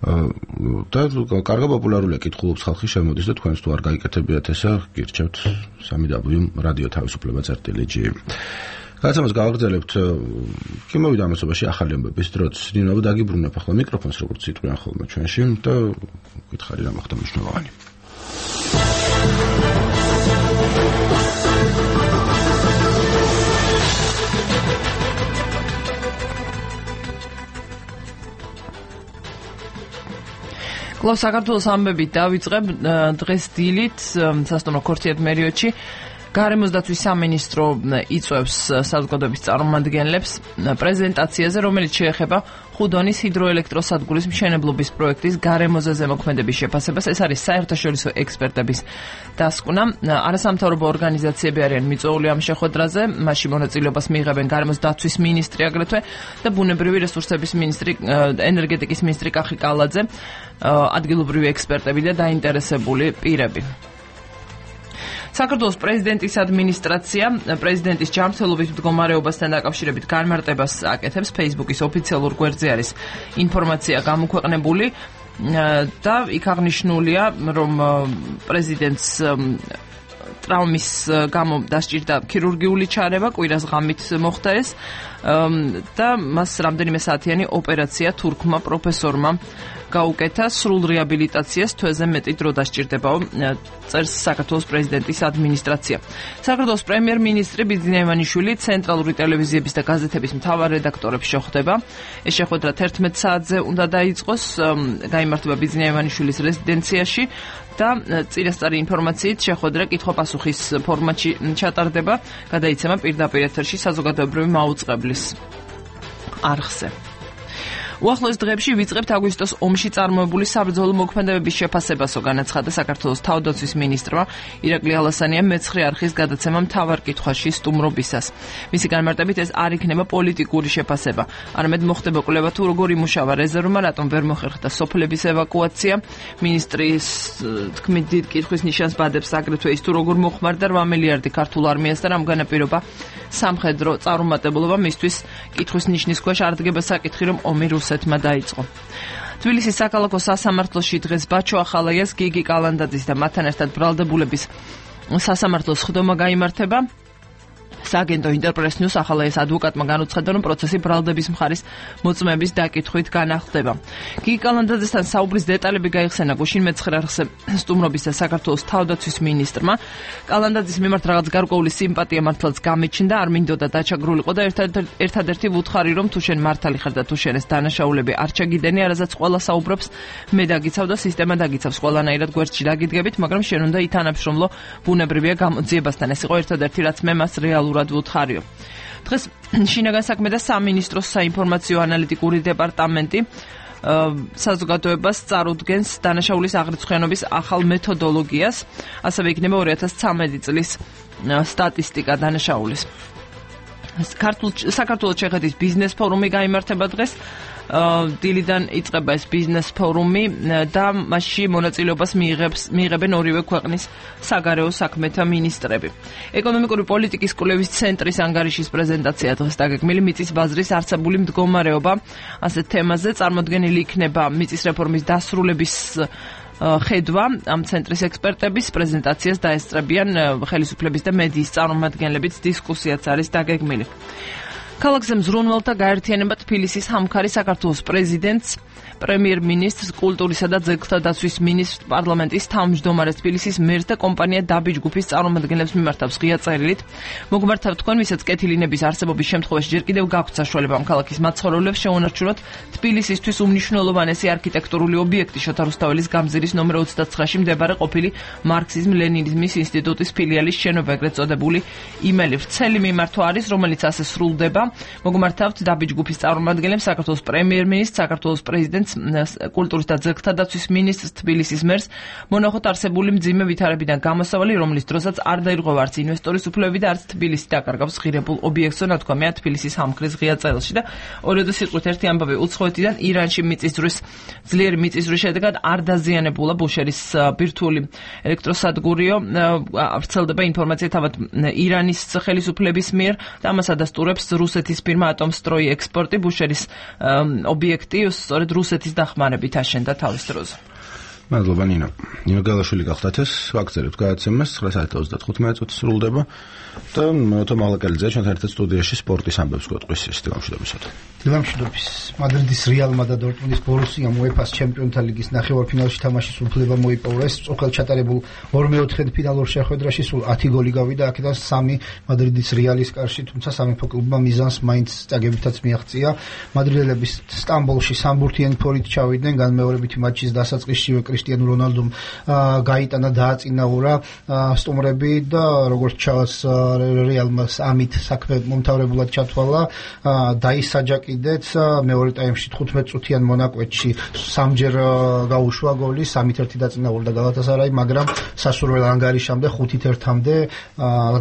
და კარგა პოპულარულია კითხულობს ხალხი, შემოდის და თქვენს თუ არ გაიკეთებიათ ესა, გირჩევთ www.radioთავისუფლება.gr. გადაცემას გავაგრძელებთ. კი მოვიდა ამასობაში ახალი ამბების დროც. ნინო დაგიბრუნებ ახლა მიკროფონს, როგორც იტყვიან ხოლმე ჩვენში და გითხარი რა მოხდა მნიშვნელოვანი. კლავ საქართველოს ამბებით დავიწყებ დღეს დილით სასტუმრო ქორთიერთმერიოდში გარემოს დაცვის სამინისტრო იწვევს საზოგადოების წარმომადგენლებს პრეზენტაციაზე, რომელიც შეეხება ხუდონის ჰიდროელექტროსადგურის მშენებლობის პროექტის გარემოზე ზემოქმედების შეფასებას. ეს არის საერთაშორისო ექსპერტების დასკვნა. არასამთავრობო ორგანიზაციები არიან მიწვეული ამ შეხვედრაზე, მასში მონაწილეობას მიიღებენ გარემოს დაცვის მინისტრი აგრეთვე და ბუნებრივი რესურსების მინისტრი, ენერგეტიკის მინისტრი კახი კალაძე, ადგილობრივი ექსპერტები და დაინტერესებული პირები. საქართველოს პრეზიდენტის ადმინისტრაცია პრეზიდენტის ჯანმრთელობის მდგომარეობასთან დაკავშირებით განმარტებას აკეთებს. Facebook-ის ოფიციალურ გვერდზე არის ინფორმაცია გამოქვეყნებული და იქ აღნიშნულია, რომ პრეზიდენტს ტრავმის გამო დასჭირდა ქირურგიული ჩარევა, კვირას ღამით მოხდა ეს და მას რამდენიმე საათიანი ოპერაცია თურქმა პროფესორმა გაუკეთა. სრულ რეაბილიტაციას თვეზე მეტი დრო დასჭირდებაო, წერს საქართველოს პრეზიდენტის ადმინისტრაცია. საქართველოს პრემიერ-მინისტრი ბიძინა ივანიშვილი ცენტრალური ტელევიზიების და გაზეთების მთავარ რედაქტორებს შეხვდება. ეს შეხვედრა 11 საათზე უნდა დაიწყოს, გაიმართება ბიძინა ივანიშვილის რეზიდენციაში და წინასწარი ინფორმაციით შეხვედრა კითხვა-პასუხის ფორმატში ჩატარდება, გადაიცემა პირდაპირ ეთერში საზოგადოებრივი მაუწყებლის არხზე. უახლოეს დღეებში ვიწყებთ აგვისტოს ომში წარმოებული საბრძოლო მოქმედებების შეფასებასო, განაცხადა საქართველოს თავდაცვის მინისტრმა ირაკლი ალასანიამ მეცხრე არხის გადაცემა მთავარ კითხვაში სტუმრობისას. მისი განმარტებით ეს არ იქნება პოლიტიკური შეფასება, არამედ მოხდება კვლევა თუ როგორ იმუშავა რეზერვმა, რატომ ვერ მოხერხდა სოფლების ევაკუაცია. მინისტრის თქმით დიდ კითხვის ნიშანს ბადებს აგრეთვე ის თუ როგორ მოხმარდა 8 მილიარდი ქართულ არმიას და რამ განაპირობა სამხედრო წარუმატებლობა, მისთვის კითხვის ნიშნის ქვეშ არ დგება საკითხი, რომ ომი რუსეთმა დაიწყო. თბილისის საქალაქო სასამართლოში დღეს ბაჩო ახალაიას, გიგი კალანდაძის და მათთან ერთად ბრალდებულების სასამართლოს ხდომა გაიმართება. სააგენტო ინტერპრეს ნიუს ახალაიას ადვოკატმა განუცხადა, რომ პროცესი ბრალდების მხარის მოწმების დაკითხვით განახლდება. გიგი კალანდაძესთან საუბრის დეტალები გაიხსენა გუშინ მეცხრე არხზე სტუმრობის და საქართველოს თავდაცვის მინისტრმა. კალანდაძის მიმართ რაღაც გარკვეული სიმპათია მართლაც გამიჩნდა, არ მინდოდა დაჩაგრულიყო და ერთადერთი ვუთხარი, რომ თუ შენ მართალი ხარ და თუ შენ ეს დანაშაულები არ ჩაგიდენი, არაზაც ყველა საუბრობს, მე დაგიცავ და სისტემა დაგიცავს, ყველანაირად გვერდში დაგიდგებით, მაგრამ შენ უნდა ითანამშრომლო, ბუნებრივია გამოძიებასთან. ეს იყო ერთადერთი, რაც მე მას რეალურად ვუთხარიო. დღეს შინაგან საქმე და სამინისტროს საინფორმაციო ანალიტიკური დეპარტამენტი საზოგადოებას წარუდგენს დანაშაულის აღრიცხვიანობის ახალ მეთოდოლოგიას, ასევე იქნება 2013 წლის სტატისტიკა დანაშაულის. საქართველოს ჩეხეთის ბიზნეს ფორუმი გაიმართება დღეს. დილიდან იწყება ეს ბიზნეს ფორუმი და მასში მონაწილეობას მიიღებენ ორივე ქვეყნის საგარეო საქმეთა მინისტრები. ეკონომიკური პოლიტიკის კვლევის ცენტრის ანგარიშის პრეზენტაცია დღეს დაგეგმილი მიწის ბაზრის არსებული მდგომარეობა. ასეთ თემაზე წარმოდგენილი იქნება მიწის რეფორმის დასრულების ხედვა. ამ ცენტრის ექსპერტების პრეზენტაციას დაესწრებიან ხელისუფლების და მედიის წარმომადგენლებიც, დისკუსიაც არის დაგეგმილი. ქალაქზე მზრუნველთა გაერთიანება თბილისის ჰამქარი საქართველოს პრეზიდენტს, პრემიერ-მინისტრს, კულტურისა და ძეგლთა დაცვის მინისტრს, პარლამენტის თავმჯდომარეს, თბილისის მერს და კომპანია დაბი ჯგუფის წარმომადგენლებს მიმართავს ღია წერილით. მოგმართავთ თქვენ, ვისაც კეთილინების არსებობის შემთხვევაში ჯერ კიდევ გაქვთ საშუალება ამ ქალაქის მაცხოვრებლებს შეუნარჩუნოთ თბილისისთვის უმნიშვნელოვანესი არქიტექტურული ობიექტი შოთა რუსთაველის გამზირის ნომერ 29-ში მდებარე ყოფილი მარქსიზმ-ლენინიზმის ინსტიტუტის ფილიალის შენობა, ეგრეთ წოდებული იმელი. ვრცელი მიმართვა არის, რომელიც ასე სრულდება. მოგმართავთ დაბი ჯგუფის წარმომადგენლებს, საქართველოს პრემიერ-მინისტრს, საქართველოს პრეზიდენტს, კულტურის და ძეგლთა დაცვის მინისტრს, თბილისის მერს. მონახოთ არსებული მძიმე ვითარებიდან გამოსავალი, რომლის დროსაც არ დაირღვევა არც ინვესტორის უფლებები და არც თბილისი დაკარგავს ღირებულ ობიექტს, ნათქვამია თბილისის ჰამქრის ღია წერილში. და ორივე სიტყვით ერთი ამბავი, უცხოეთიდან ირანში ძლიერი მიწისძვრის შედეგად არ დაზიანებულა ბუშერის ბირთვული ელექტროსადგურიო. ვრცელდება ინფორმაცია თავად ირანის ხელისუფლების მიერ და ამას ადასტურებს რუსეთის ფირმა ატომსტროი ექსპორტი. ბუშერის ობიექტი სწორედ რუსეთის დახმარებით აშენდა თავის დროზე. მადლობა ნინო. ნინო გალაშვილი გახდათ ეს ვაგზავნებთ გადაცემას 9:35 წუთი სრულდება და მოთო მალაკელიძე ჩვენთან ერთად სტუდიაში სპორტის ამბებს გვეტყვის ეს დილამშვიდობისად. დილამშვიდობის. მადრიდის რეალმა და დორტმუნდის ბორუსიამ UEFA-ს ჩემპიონთა ლიგის ნახევარფინალში თამაშის უფლება მოიპოვეს. წუხელ ჩატარებულ 2/4 ფინალურ შეხვედრაში სულ 10 გოლი გავიდა, აქედან 3 მადრიდის რეალის კარში, თუმცა სამეფო კლუბმა მიზანს მაინც წაგებითაც მიაღწია. მადრიდელები სტამბოლში სამბურთიანი ფორით ჩავიდნენ, განმეორებითი მატჩის დასაწყისშივე კრისტიანო რონალდომ გაიტანა დააწინაურა სტუმრები და როგორც ჩანს რეალმა ამით საქმე მომთავრებულად ჩათვალა, დაისაჯა კიდეც მეორე ტაიმში 15 წუთიან მონაკვეთში სამჯერ გაუშვა გოლი, 3-1 დაწინაურდა გალათასარაი, მაგრამ სასურველ ანგარიშამდე 5-1-მდე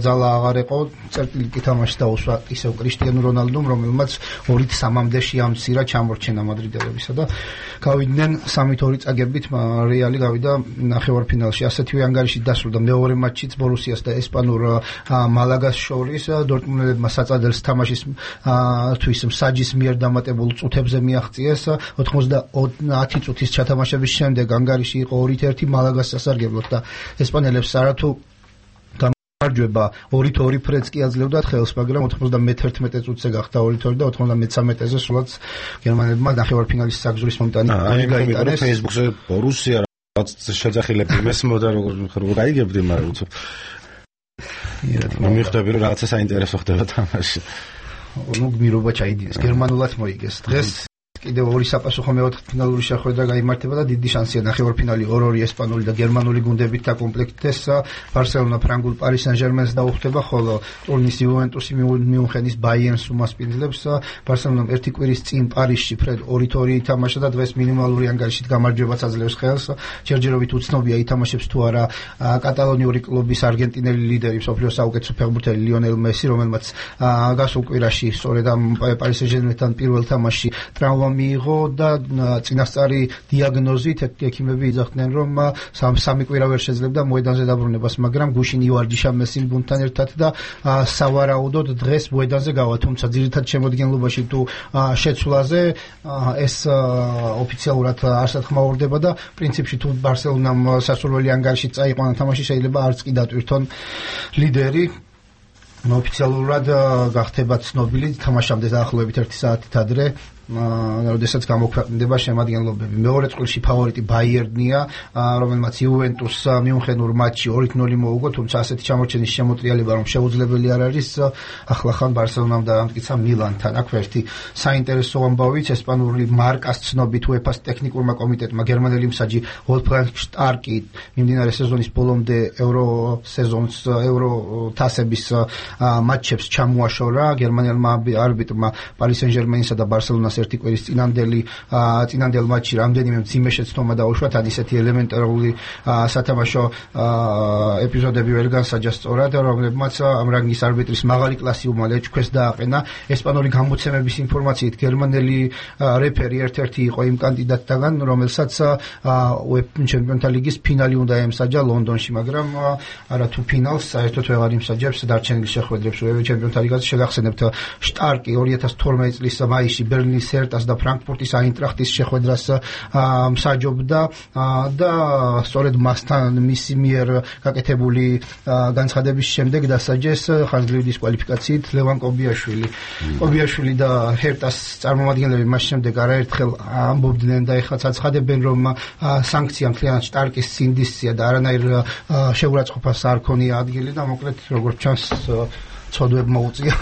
ძალა აღარ იყო, წერტილი კი თამაში დაუსვა ისევ კრისტიანო რონალდომ, რომელმაც 2-3-მდე შეამცირა ჩამორჩენა მადრიდელებისა და გავიდნენ 3-2 წაგებით რეალი გავიდა ნახევარფინალში. ასეთივე ანგარიშით დასრულდა მეორე მატჩიც ბორუსიას და ესპანურ მალაგას შორის. დორტმუნელებმა საწადელს თამაშის თვის მსაჯის მიერ დამატებულ წუთებზე მიაღწიეს. 90 წუთის ჩათამაშების შემდეგ ანგარიში იყო 2-1 მალაგას სასარგებლოდ და ესპანელებს არათუ გამარჯვება 2-2 ფრედს კი აძლევდათ ხელს, მაგრამ 91 წუთზე გახდა 2-2 და 93-ზე სულაც გერმანელებმა ნახევარფინალის საგზურის მომტანი გაიტანეს. Facebook-ზე ბორუსია რაც შეძახილები მესმოდა როგორ გაიგებდი, მაგრამ უცებ მიხდები რომ რაღაცა საინტერესო ხდება თამაში. ნუ გმირობა ჩაიდინეს, გერმანულად მოიგეს. დღეს კიდევ ორი საპასუხო მეოთხედფინალური შეხვედრა გაიმართება და დიდი შანსია ნახევარფინალი 2-2 ესპანური და გერმანული გუნდებით დაკომპლექტდეს. ბარსელონა ფრანგულ პარი სენ-ჟერმენს დაუხდება, ხოლო ტურინის იუვენტუსი მიუნხენის ბაიერნს უმასპინძლებს. ბარსელონამ ერთი კვირის წინ პარიზში ფრედ 2-2 ითამაშა და დღეს მინიმალური ანგარიშით გამარჯვებაც აძლევს ხელს. ჯერჯერობით უცნობია ითამაშებს თუ არა კატალონიური კლუბის არგენტინელი ლიდერი, მსოფლიოს საუკეთესო ფეხბურთელი ლიონელ მესი, რომელმაც გასულ კვირაში სწორედ ამ პარი სენ-ჟერმენთან პირველ თამაშში ტრავმა მიიღო და წინასწარი დიაგნოზით ექიმები იძახდნენ, რომ სამი კვირა ვერ შეძლებდა მოედანზე დაბრუნებას, მაგრამ გუშინ ივარჯიშა მესიმ გუნდთან ერთად და სავარაუდოდ დღეს მოედანზე გავა, თუმცა ძირითად შემოდგენლობაში თუ შეცვლაზე ეს ოფიციალურად არ სათქმაურდება და პრინციპში თუ ბარსელონამ სასურველი ანგარიშით წაიყვანა თამაში, შეიძლება არც კი დატვირთონ ლიდერი. ოფიციალურად გახდება ცნობილი თამაშამდე დაახლოებით 1 საათით ადრე, როდესაც გამოქვეყნდება შემადგენლობები. მეორე წყვილში ფავორიტი ბაიერნია, რომელმაც იუვენტუსს მიუნხენურ მატჩში 2-0 მოუგო, თუმცა ასეთი ჩამორჩენის შემოტრიალება რომ შეუძლებელი არ არის, ახლახან ბარსელონამ დაამტკიცა მილანთან. აქ ერთი საინტერესო ამბავიც, ესპანური მარკას ცნობით UEFA-ს ტექნიკურმა კომიტეტმა გერმანელი მსაჯი ვოლფგანგ შტარკი მიმდინარე სეზონის ბოლომდე ევრო თასების მატჩებს ჩამოაშორა. გერმანელმა არბიტრმა პარი სენ-ჟერმენისა და ბარსელონას ერთი კვირის წინანდელ მატჩში რამდენიმე მძიმე შეცდომა დაუშვა, თან ისეთი ელემენტარული სათამაშო ეპიზოდები ვერ განსაჯა სწორად, რომლებმაც ამ რანგის არბიტრის მაღალი კლასი უმალე ჩქვეს დააყენა. ესპანური გამოცემების ინფორმაციით გერმანელი რეფერი ერთ-ერთი იყო იმ კანდიდატთაგან, რომელსაც UEFA ჩემპიონთა ლიგის ფინალი უნდა ემსაჯა ლონდონში, მაგრამ არათუ ფინალს საერთოდ ვეღარ იმსაჯებს დარჩენილ შეხვედრებს UEFA ჩემპიონთა ლიგაზე. შეგახსენებთ, შტარკი 2012 წლის მაისში ბერლინის სერტას და ფრანკფურტის აინტრახტის შეხვედრას მსაჯობდა და სწორედ მასთან მისი მიერ გაკეთებული განცხადების შემდეგ დასაჯეს ხანგრძლივი დისკვალიფიკაციით ლევან კობიაშვილი. კობიაშვილი და ჰერტას წარმომადგენლები მას შემდეგ არაერთხელ ამბობდნენ და ეხლაც აცხადებენ, რომ სანქცია მთლიანად შტარკის სინდისია და არანაირ შეურაცხყოფას არ ქონია ადგილი და მოკლედ როგორც ჩანს ცოდვებმა უწია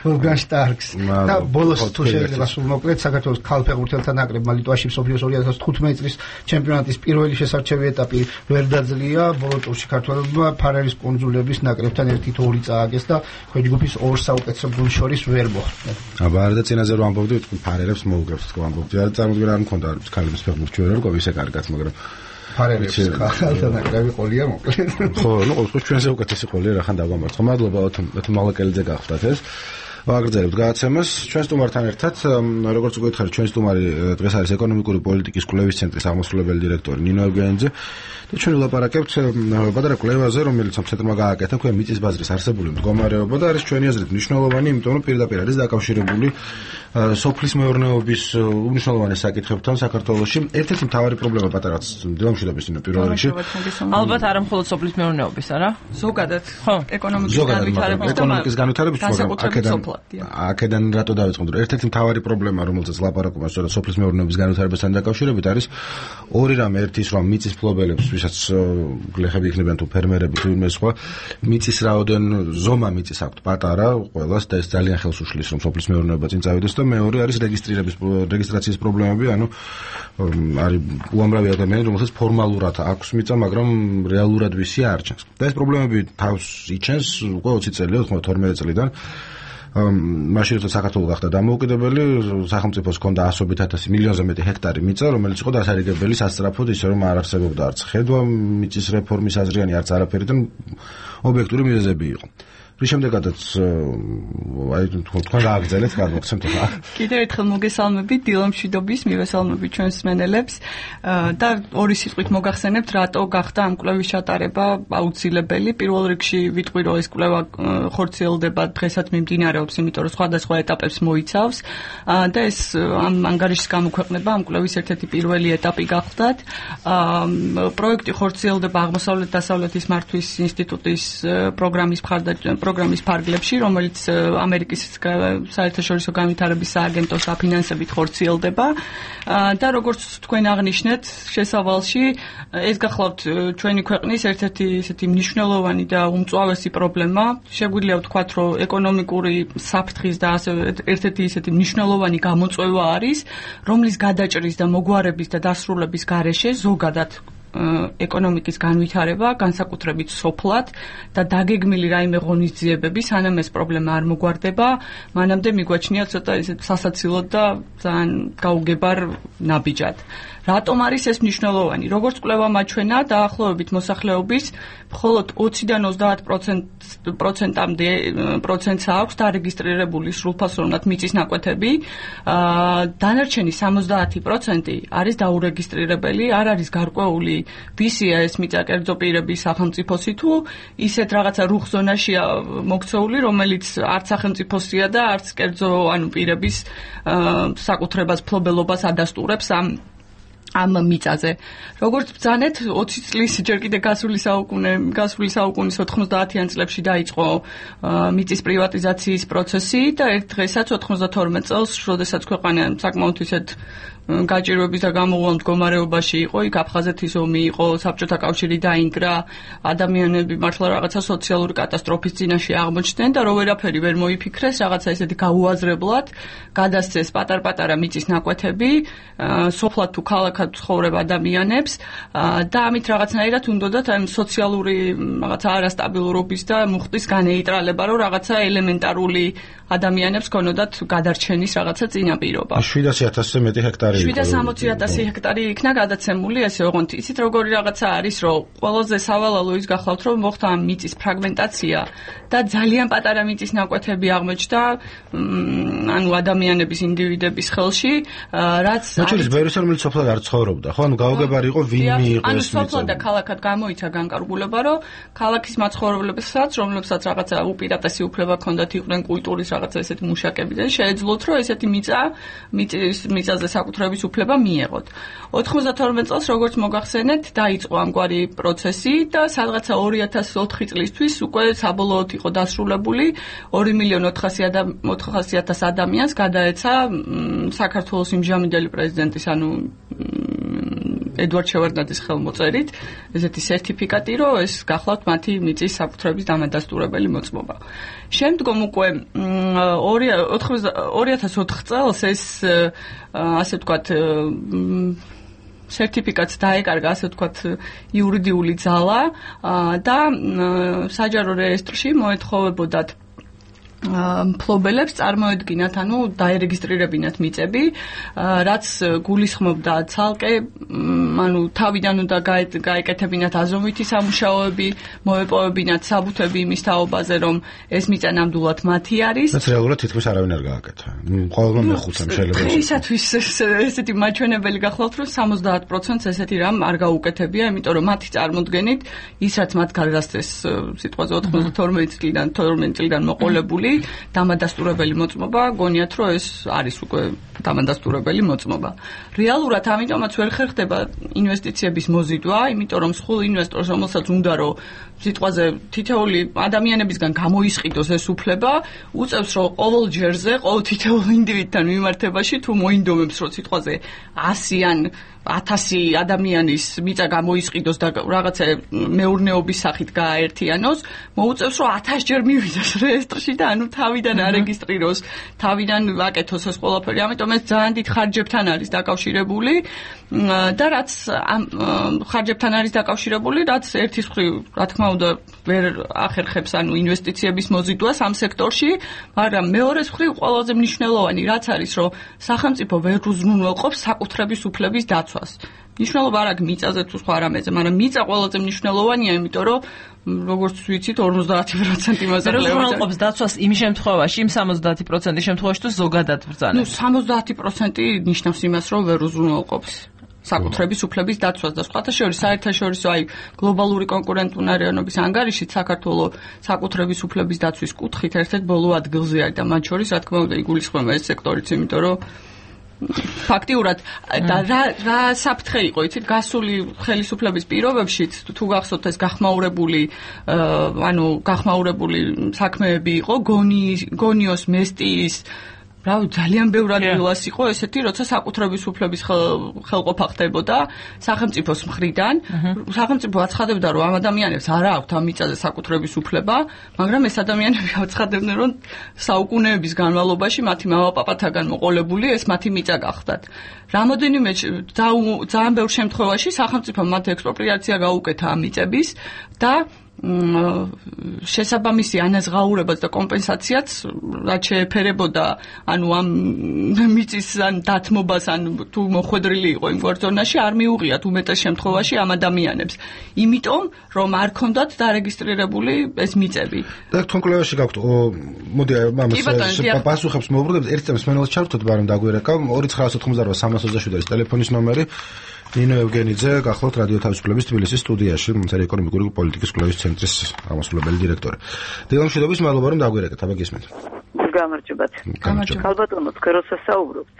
ვოლფგანგ შტარკს და ბოლოს თუ შეიძლება სულ მოკლედ საქართველოს ქალ ფეხბურთელთა ნაკრებმა ლიტვაში მსოფლიოს 2015 წლის ჩემპიონატის პირველი შესარჩევი ეტაპი ვერ დაძლია. ბოლო ტურში ქართველებმა ფარერის კუნძულების ნაკრებთან 1-2 წააგეს და ქვეჯგუფის ორ საუკეთესო გუნდს შორის ვერ მოხვდნენ. აბა არა და წინაზე რომ ამბობდი, ვთქვი ფარერებს მოუგებს თქო ამბობდი. არ წარმოგვიდგენ არ მქონდა ქალების ფეხბურთში ვერ ვიყო ისე კარგად, მაგრამ ფარერებს ხალხთან ნაკრები ყოლია მოკლედ. ხო, ნუ ყოველთვის ჩვენზე უკეთესი ყოლია, რახან დავამარცხო. მადლობა თუ მალაკელიძე გახდათ ეს. ვაგრძელებთ გადაცემას ჩვენ სტუმართან ერთად. როგორც უკვე გითხარით, ჩვენ სტუმარი დღეს არის ეკონომიკური პოლიტიკის კვლევის ცენტრის აღმასრულებელი დირექტორი ნინო ევგენიძე და ჩვენ ვილაპარაკებთ პატარა კვლევაზე, რომელიც ამ ცენტრმა გააკეთა თქვენ მიწის ბაზრის არსებული მდგომარეობა და არის ჩვენი აზრით მნიშვნელოვანი, იმიტომ რომ პირდაპირ არის დაკავშირებული სოფლის მეურნეობის უმნიშვნელოვანეს საკითხებთან საქართველოში. ერთ-ერთი მთავარი პრობლემა პატარაც დილამშვიდობის პირველ რიგში. ალბათ არა მხოლოდ სოფლის მეურნეობის, არა? ზოგადად. ხო, ეკონომიკის განვითარების აქედან რატო დავიწყოთ? ერთ-ერთი მთავარი პრობლემა, რომელზეც ლაპარაკობენ სწორედ სოფლის მეურნეობის განვითარებასთან დაკავშირებით არის ორი რამე. ერთი ის რომ მიწის მფლობელებს, ვისაც გლეხები იქნებიან თუ ფერმერები თუ იმ სხვა, მიწის ზომა მიწის აქვთ პატარა ყველას და ეს ძალიან ხელს უშლის რომ სოფლის მეურნეობა წინ წავიდეს და მეორე არის რეგისტრაციის პრობლემები, ანუ არის უამრავი ადამიანი, რომელსაც ფორმალურად აქვს მიწა, მაგრამ რეალურად ვისი არ ჩანს. და ეს პრობლემები თავს იჩენს უკვე 20 წელია, 12 წლიდან. მაშინ როცა საქართველო გახდა დამოუკიდებელი, სახელმწიფოს ჰქონდა 100.000 მილიონზე მეტი ჰექტარი მიწა, რომელიც იყო დასარიგებელი სასწრაფოდ, ისე რომ არ არსებობდა არც ხედვა მიწის რეფორმის აზრიანი, არც არაფერი და ობიექტური მიზეზები იყო. რის შემდეგაც თქვენ გააგრძელეთ, გადმოგცემთ ახლა. კიდევ ერთხელ მოგესალმებით, დილამშვიდობის, მივესალმებით ჩვენს მსმენელებს და ორი სიტყვით მოგახსენებთ, რატო გახდა ამ კვლევის ჩატარება აუცილებელი. პირველ რიგში ვიტყვი, რომ ეს კვლევა ხორციელდება დღესაც მიმდინარეობს, იმიტომ რომ სხვადასხვა ეტაპებს მოიცავს და ეს ამ ანგარიშის გამოქვეყნება ამ კვლევის ერთ-ერთი პირველი ეტაპი გახლდათ. პროექტი ხორციელდება აღმოსავლეთ-დასავლეთის მართვის ინსტიტუტის პროგრამის ფარგლებში, რომელიც ამერიკის საერთაშორისო განვითარების სააგენტოს საფინანსებით ხორციელდება და როგორც თქვენ აღნიშნეთ, შესავალში ეს გახლავთ ჩვენი ქვეყნის ერთ-ერთი ისეთი მნიშვნელოვანი და უმწვავესი პრობლემა. შეგვიძლია ვთქვათ, რომ ეკონომიკური საფრთხის და ასევე ერთ-ერთი ისეთი მნიშვნელოვანი გამოწვევა არის, რომლის გადაჭრის და მოგვარების და დასრულების გარეშე ზოგადად ეკონომიკის განვითარება, განსაკუთრებით სოფლად და დაგეგმილი რაიმე ღონისძიებები, სანამ ეს პრობლემა არ მოგვარდება, მანამდე მიგვაჩნია ცოტა ისეთ სასაცილოდ და ძალიან გაუგებარ ნაბიჯად. რატომ არის ეს მნიშვნელოვანი? როგორც კვლევა მაჩვენა, დაახლოებით მოსახლეობის მხოლოდ 20-დან 30%-მდე პროცენტს აქვს დარეგისტრირებული სრულფასოვნად მიწის ნაკვეთები. დანარჩენი 70% არის დაურეგისტრირებელი, არ არის გარკვეული ვისია ეს მიწა კერძო პირების სახელმწიფოსი თუ ისეთ რაღაცა რუხ ზონაშია მოქცეული, რომელიც არც სახელმწიფოსია და არც კერძო პირების საკუთრებას, ფლობელობას ადასტურებს ამ მიწაზე. როგორც ბრძანეთ, 20 წლის ჯერ კიდე გასული საუკუნის 90-იან წლებში დაიწყო მიწის პრივატიზაციის პროცესი და ერთ დღესაც 92 წელს, როდესაც ქვეყანა საკმაოდ ისეთ გაჭირვების და გამოუვალ მდგომარეობაში იყო, იქ აფხაზეთის ომი იყო, საბჭოთა კავშირი დაინგრა, ადამიანები მართლა რაღაცა სოციალური კატასტროფის წინაშე აღმოჩნდნენ და რო ვერაფერი ვერ მოიფიქრეს, რაღაცა ესეთი გაუაზრებლად გადასცეს პატარ-პატარა მიწის ნაკვეთები, სოფლად თუ ქალაქად ცხოვრებ ადამიანებს და ამით რაღაცნაირად უნდათ ამ სოციალური რაღაცა არასტაბილურობის და მუხტის განეიტრალება, რომ რაღაცა ელემენტარული ადამიანებს ქონოდათ გადარჩენის რაღაცა წინაპირობა. 700.000-ზე მეტი ჰექტარი 760.000 ჰექტარი იქნა გადაცემული, ესე ოღონდ იცით როგორი რაღაცა არის, რომ ყველაზე სავალალო ის გახლავთ, რომ მოხდა მიწის ფრაგმენტაცია და ძალიან პატარა მიწის ნაკვეთები აღმოჩნდა ადამიანების ინდივიდების ხელში, რაც მოჩვენეს ბევრი რომელიც სოფლად არ ცხოვრობდა, ხო? გაუგებარი იყო ვინმე იყო ეს მიწა. სოფლად და ქალაქად გამოიცა განკარგულება, რომ ქალაქის მაცხოვრებლებსაც, რომლებსაც რაღაცა უპირატესი უფლება ჰქონდათ, იყვნენ კულტურის რაღაცა ესეთი მუშაკები და შეეძლოთ, რომ ესეთი მიწაზე საკუთრების უფლება მიეღოთ. 92 წელს, როგორც მოგახსენეთ, დაიწყო ამგვარი პროცესი და სადღაცა 2004 წლისთვის უკვე საბოლოოდ იყო დასრულებული 2.400.000 ადამიანს გადაეცა საქართველოს იმჟამინდელი პრეზიდენტის, ედვარდ შევარდნაძის ხელმოწერით ესეთი სერტიფიკატი, რომ ეს გახლავთ მათი მიწის საკუთრების დამადასტურებელი მოწმობა. შემდგომ უკვე 2004 წელს ეს ასე ვთქვათ სერტიფიკატს დაეკარგა, ასე ვთქვათ, იურიდიული ძალა და საჯარო რეესტრში მოეთხოვებოდათ მფლობელებს წარმოედგინათ, დაერეგისტრირებინათ მიწები, რაც გულისხმობდა ცალკე, თავიდან უნდა გაეკეთებინათ აზომვითი სამუშაოები, მოეპოვებინათ საბუთები იმის თაობაზე, რომ ეს მიწა ნამდვილად მათი არის. რაც რეალურად თითქმის არავინ არ გააკეთა. ყოველმა მეხუთამ შეიძლება. ისათვის ესეთი მაჩვენებელი გახლავთ, რომ 70%-ს ესეთი რამ არ გაუკეთებია, იმიტომ რომ მათი წარმოდგენით ის რაც მათ გარდასწეს სიტყვაზე 92 წლიდან მოყოლებული დამადასტურებელი მოწმობა, გონიათ რომ ეს არის უკვე დამადასტურებელი მოწმობა. რეალურად ამიტომაც ვერ ხერხდება ინვესტიციების მოზიდვა, იმიტომ რომ სულ ინვესტორს რომელსაც უნდა რომ სიტყვაზე თითოეული ადამიანებისგან გამოისყიდოს ეს უფლება, უწევს რომ ყოველ ჯერზე, ყოველ თითოეულ ინდივიდთან მიმართებაში თუ მოინდომებს რომ სიტყვაზე 100 ან 1000 ადამიანის მიწა გამოისყიდოს და რაღაცა მეურნეობის სახით გააერთიანოს, მოუწევს რომ 1000 ჯერ მივიდეს რეესტრში და თავიდან არეგისტრიროს, თავიდან აკეთოს ეს ყველაფერი. ამიტომ ეს ძალიან დიდ ხარჯებთან არის დაკავშირებული და რაც ამ ხარჯებთან არის დაკავშირებული, რაც ერთის მხრივ, რა თქმა უნდა, ვერ ახერხებს ინვესტიციების მოზიდვას ამ სექტორში, მაგრამ მეორეს მხრივ ყველაზე მნიშვნელოვანი რაც არის, რომ სახელმწიფო ვერ უზრუნველყოფს საკუთრების უფლების დაცვას. მნიშვნელობა არ აქვს მიწაზე თუ სხვა რამეზე, მაგრამ მიწა ყველაზე მნიშვნელოვანია, იმიტომ რომ როგორც ვიცით 50% იმაზე ყლევს. უზრუნველყოფს დაცვას იმ შემთხვევაში, იმ 70% შემთხვევაში თუ ზოგადად ბრძანებს. 70% ნიშნავს იმას, რომ ვერ უზრუნველყოფს საკუთრების უფლების დაცვას და სხვათა შორის საერთაშორისო გლობალური კონკურენტუნარიანობის ანგარიშით საქართველოს საკუთრების უფლების დაცვის კუთხით ერთ-ერთ ბოლო ადგილზე არის და მათ შორის რა თქმა უნდა იგულისხმება ეს სექტორიც, იმიტომ რომ ფაქტიურად და რა საფრთხე იყო იცით გასული ხელისუფლების პირობებში თუ გახსოვთ ეს გახმაურებული საქმეები იყო გონიოს მესტიის რავი ძალიან ბევრ ადგილას იყო ესეთი როცა საკუთრების უფლების ხელყოფა ხდებოდა სახელმწიფოს მხრიდან სახელმწიფო აცხადებდა რომ ამ ადამიანებს არ აქვთ ამ მიწაზე საკუთრების უფლება მაგრამ ეს ადამიანები აცხადებდნენ რომ საუკუნეების განმავლობაში მათი მამაპაპათაგან მოყოლებული ეს მათი მიწა გახდათ რამოდენიმე ძალიან ბევრ შემთხვევაში სახელმწიფომ მათ ექსპროპრიაცია გაუკეთა ამ მიწების და შესაბამისი ანაზღაურებას და კომპენსაციაც რაც შეეფერებოდა ანუ ამ მიწის ან დათმობას ან თუ მოხვედრილი იყო იმ გვარზონაში არ მიუღიათ უმეტეს შემთხვევაში ამ ადამიანებს იმიტომ რომ არ ქონდათ დარეგისტრირებული ეს მიწები და თქვენ კვლევაში გაქვთ მოდი ამას პასუხებს მოვუბრუნებთ ერთ წამს მენელს ჩავთოთ ბარემ დაგვირეკა 2988 ტელეფონის ნომერი ნინო ევგენიძე გახლავთ რადიო თავისუფლების თბილისის სტუდიაში ეკონომიკური პოლიტიკის კვლევის ცენტრის აღმასრულებელი დირექტორი. დილამშვიდობის მადლობა რომ დაგვირეკეთ, აბა გისმენთ. გამარჯობათ. ქალბატონო, თქვენ როცა საუბრობთ,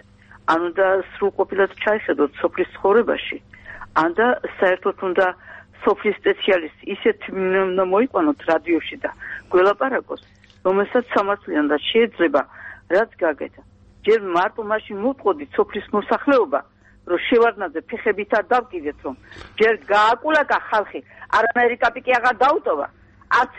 ანუ და სრულყოფილად ჩაიხედოთ სოფლის ცხოვრებაში, ან და საერთოდ უნდა სოფლის სპეციალისტი ისეთ უნდა მოიყვანოთ რადიოში და გველაპარაკოს, რომელსაც სამართლიან და შეიძლება რაც გაგეთა. ჯერ მარტო მაშინ მოვყოდით სოფლის მოსახლეობა რომ შევარდნაძე ფეხებით არ დავკიდეთ რომ ჯერ გააკულაკა ხალხი არანაირი კაპიკი აღარ დაუტოვა არც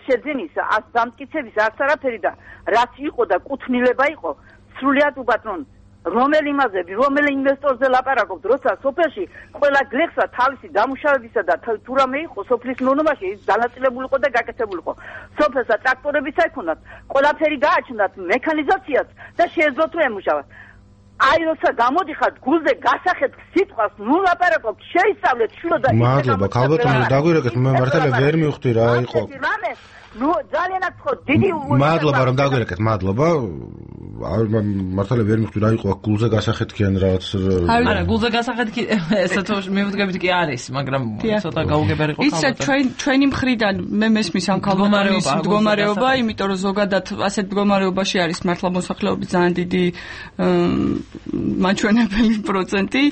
შეძენის არც დამტკიცების არც არაფერი და რაც იყო და კუთვნილება იყო სრულიად უბათრონ რომელ იმაზები რომელ ინვესტორზე ლაპარაკობთ როცა სოფელში ყველა გლეხსა თავისი დამუშავებისა და თუ რამე იყო სოფლის მონობაში ის დანაწილებული იყო და გაკეთებული იყო სოფელსა ტრაქტორებიც აიქონდათ ყველაფერი გააჩნდათ მექანიზაციაც და შეეძლოთ რომ ემუშავათ აი როცა გამოდიხართ გულზე გასახეთ სიტყვას ნუ ლაპარაკობთ შეისწავლეთ შვილო და მადლობა ქალბატონო დაგვირეკეთ მე მართლა ვერ მივხვდი რა იყო ნუ ძალიანაც ხო დიდი მადლობა რომ დაგვირეკეთ მადლობა მართლა ვერ მივხვდი რა იყო გულზე გასახეთ კი ან რაღაც არა გულზე გასახეთ კი ესა თუ მივდგებით კი არის მაგრამ ცოტა გაუგებარი იყო ისა ჩვენი მხრიდან მე მესმის ამ ქალბატონის მდგომარეობა იმიტომ რომ ზოგადად ასეთ მდგომარეობაში არის მართლა მოსახლეობის ძალიან დიდი მაჩვენებელი პროცენტი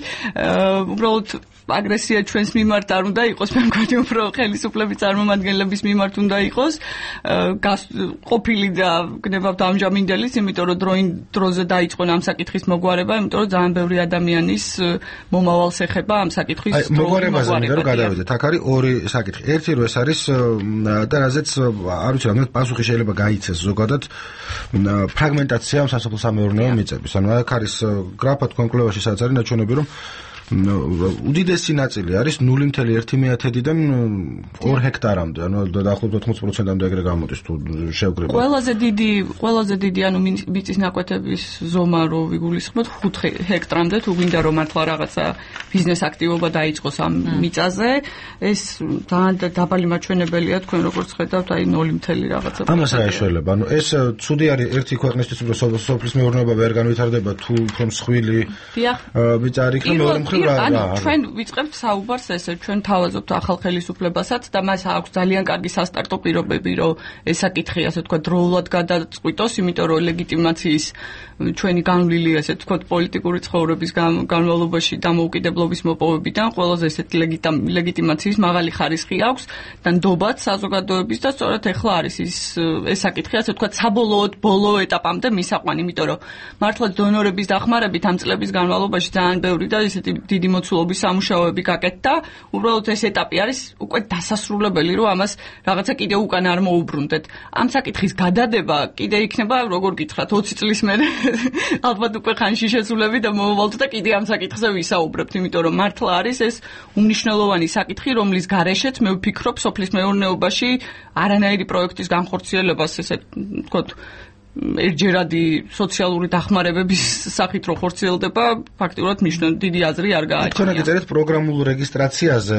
უბრალოდ აგრესია ჩვენს მიმართ არ უნდა იყოს მე მგონი უფრო ხელისუფლების წარმომადგენლების მიმართ უნდა იყოს ყოფილი და გნებავთ ამჟამინდელის იმიტომ რომ დროზე დაიწყონ ამ საკითხის მოგვარება იმიტომ რომ ძალიან ბევრი ადამიანის მომავალს ეხება ამ საკითხის მოგვარებაზე რომ გადავიდეთ აქ არის ორი საკითხი ერთი რომ ეს არის და რაზეც არ ვიცი რამე პასუხი შეიძლება გაიცეს ზოგადად ფრაგმენტაცია სასოფლო-სამეურნეო მიწების ანუ აქ არის გრაფა თქვენ კვლევაში სადაც არის ნაჩვენები რომ უდიდესი ნაწილი არის 0.1-დან 2 ჰექტარამდე, ანუ დაახლოებით 80%-ამდე ეგრე გამოდის თუ შევკრიბოთ. ყველაზე დიდი ანუ მიწის ნაკვეთების ზომა რო ვიგულისხმოთ 5 ჰექტრამდე, თუ გვინდა რომ მართლა რაღაცა ბიზნეს აქტივობა დაიწყოს ამ მიწაზე, ეს ძალიან დაბალი მაჩვენებელია თქვენ როგორც ხედავთ, აი 0 რაღაცა. ამას რა ეშველება? ანუ ეს ცუდი არის ერთი ქვეყნისთვის, რომ სოფლის მეურნეობა ვერ განვითარდება თუ უფრო მსხვილი ბიჭარი იქნება მეორე მხრივ ანუ ჩვენ ვიწყებთ საუბარს ესე ჩვენ თავაზობთ ახალ ხელისუფლებასაც და მას აქვს ძალიან კარგი სასტარტო პირობები რომ ეს საკითხი ასე თქვა დროულად გადაწყვიტოს, იმიტომ რომ ლეგიტიმაციის ჩვენი განვლილი ასე თქვა პოლიტიკური ცხოვრების განმავლობაში დამოუკიდებლობის მოპოვებიდან ყველაზე ესეთი ლეგიტიმაციის მაღალი ხარისხი აქვს და ნდობად საზოგადოების და სწორედ ეხლა არის ეს საკითხი ასე თქვა საბოლოოდ ბოლო ეტაპამდე მისაყვანი, იმიტომ რომ მართლა დონორების დახმარებით ამ წლების განმავლობაში ძალიან ბევრი და ესეთი დიდი მოცულობის სამუშაოები გაკეთდა. უბრალოდ ეს ეტაპი არის უკვე დასასრულებელი, რომ ამას რაღაცა კიდე უკან არ მოუბრუნდეთ. ამ საკითხის გადადება კიდე იქნება, როგორ გითხრათ, 20 წლის მერე ალბათ უკვე ხანში შესულები და მოვავალთ და კიდე ამ საკითხზე ვისაუბრებთ, იმიტომ რომ მართლა არის ეს უმნიშვნელოვანი საკითხი, რომლის გარეშეც მე ვფიქრობ, სოფლის მეურნეობაში არანაირი პროექტის განხორციელებას, ესე ვთქვათ, ერთჯერადი სოციალური დახმარებების სახით რო ხორციელდება, ფაქტიურად დიდი აზრი არ გააჩნია. თქვენ გიწერეთ პროგრამულ რეგისტრაციაზე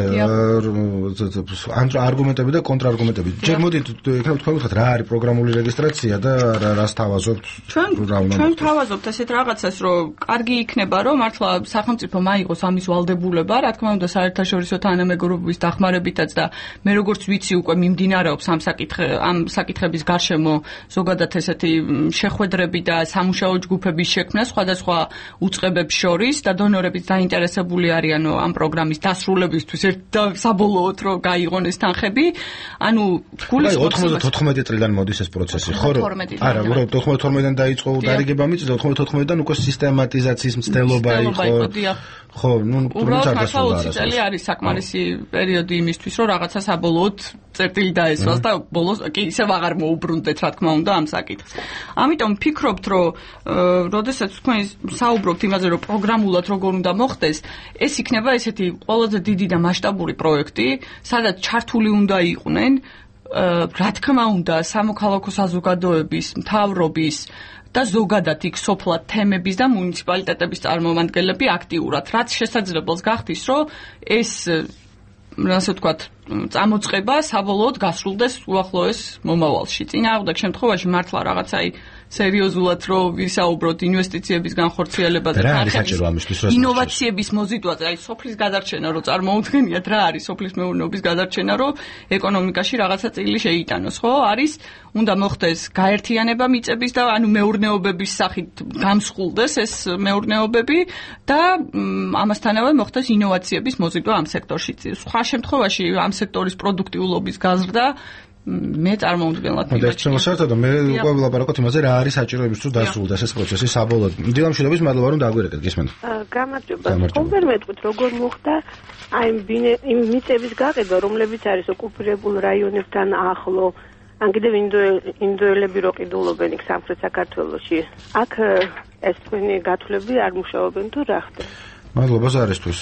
არგუმენტები და კონტრარგუმენტები. ჯერ მოდით ეხლა თქვენ ვთქვათ რა არის პროგრამული რეგისტრაცია და რას თავაზობთ? ჩვენ თავაზობთ ესეთ რაღაცას, რომ კარგი იქნება, რომ მართლა სახელმწიფო მაიღოს ამის ვალდებულება, რა თქმა უნდა საერთაშორისო თანამეგობრობის დახმარებითაც და მე როგორც ვიცი უკვე მიმდინარეობს ამ საკითხების გარშემო ზოგადად ესეთი შეხვედრები და სამუშაო ჯგუფების შექმნა სხვადასხვა უწყებებს შორის და დონორებიც დაინტერესებული არიანო ამ პროგრამის დასრულებისთვის საბოლოოდ რომ გაიღონ ეს თანხები. ანუ გულისხმობს 94 წლიდან მოდის ეს პროცესი, ხო? არა, 92-დან დაიწყო დარიგება მიწის და 94-დან უკვე სისტემატიზაციის მცდელობა იყო. ხო, უბრალოდ 20 წელი არის საკმარისი პერიოდი იმისთვის, რომ რაღაცა საბოლოოდ წერტილი დაესვას და ბოლოს კი ისევ აღარ მოუბრუნდეთ, რა თქმა უნდა, ამ საკითხს. ამიტომ ფიქრობთ, რომ როდესაც თქვენ საუბრობთ იმაზე, რომ პროგრამულად როგორ უნდა მოხდეს, ეს იქნება ესეთი ყველაზე დიდი და მასშტაბური პროექტი, სადაც ჩართული უნდა იყვნენ, რა თქმა უნდა, სამოქალაქო საზოგადოების, მთავრობის და ზოგადად იქ სოფლად თემების და მუნიციპალიტეტების წარმომადგენლები აქტიურად, რაც შესაძლებელს გახდის, რომ ეს ასე ვთქვათ, წამოწყება საბოლოოდ გასრულდეს უახლოეს მომავალში. წინააღმდეგ შემთხვევაში მართლა რაღაცა სერიოზულად რო ვისაუბროთ ინვესტიციების განხორციელებაზე, ინოვაციების მოზიდვაზე, სოფლის გადარჩენა რო წარმოუდგენიათ, რა არის სოფლის მეურნეობის გადარჩენა, რომ ეკონომიკაში რაღაცა წილი შეიტანოს, ხო? არის უნდა მოხდეს გაერთიანება მიწების და ანუ მეურნეობების სახით გამსხულდეს ეს მეურნეობები და ამასთანავე მოხდეს ინოვაციების მოზიდვა ამ სექტორში. სხვა შემთხვევაში ამ სექტორის პროდუქტიულობის გაზრდა მე წარმოუდგენლად მივაჩნია. შემოსართო მე უკვე ვლაპარაკობთ იმაზე რა არის საჭიროებისთვის რომ დასრულდეს ეს პროცესი საბოლოოდ. დილამშვიდობის მადლობა რომ დაგვირეკეთ, გისმენთ. გამარჯობა. ხომ მეტყვით როგორ მოხდა აი იმ მიწების გაყიდვა, რომლებიც არის ოკუპირებულ რაიონებთან ახლო, ან კიდევ ინდოელები რო ყიდულობენ იქ სამხრეთ საქართველოში. აქ ეს თქვენი გათვლები არ მუშაობენ თუ რა ხდება? მადლობა ზარისთვის.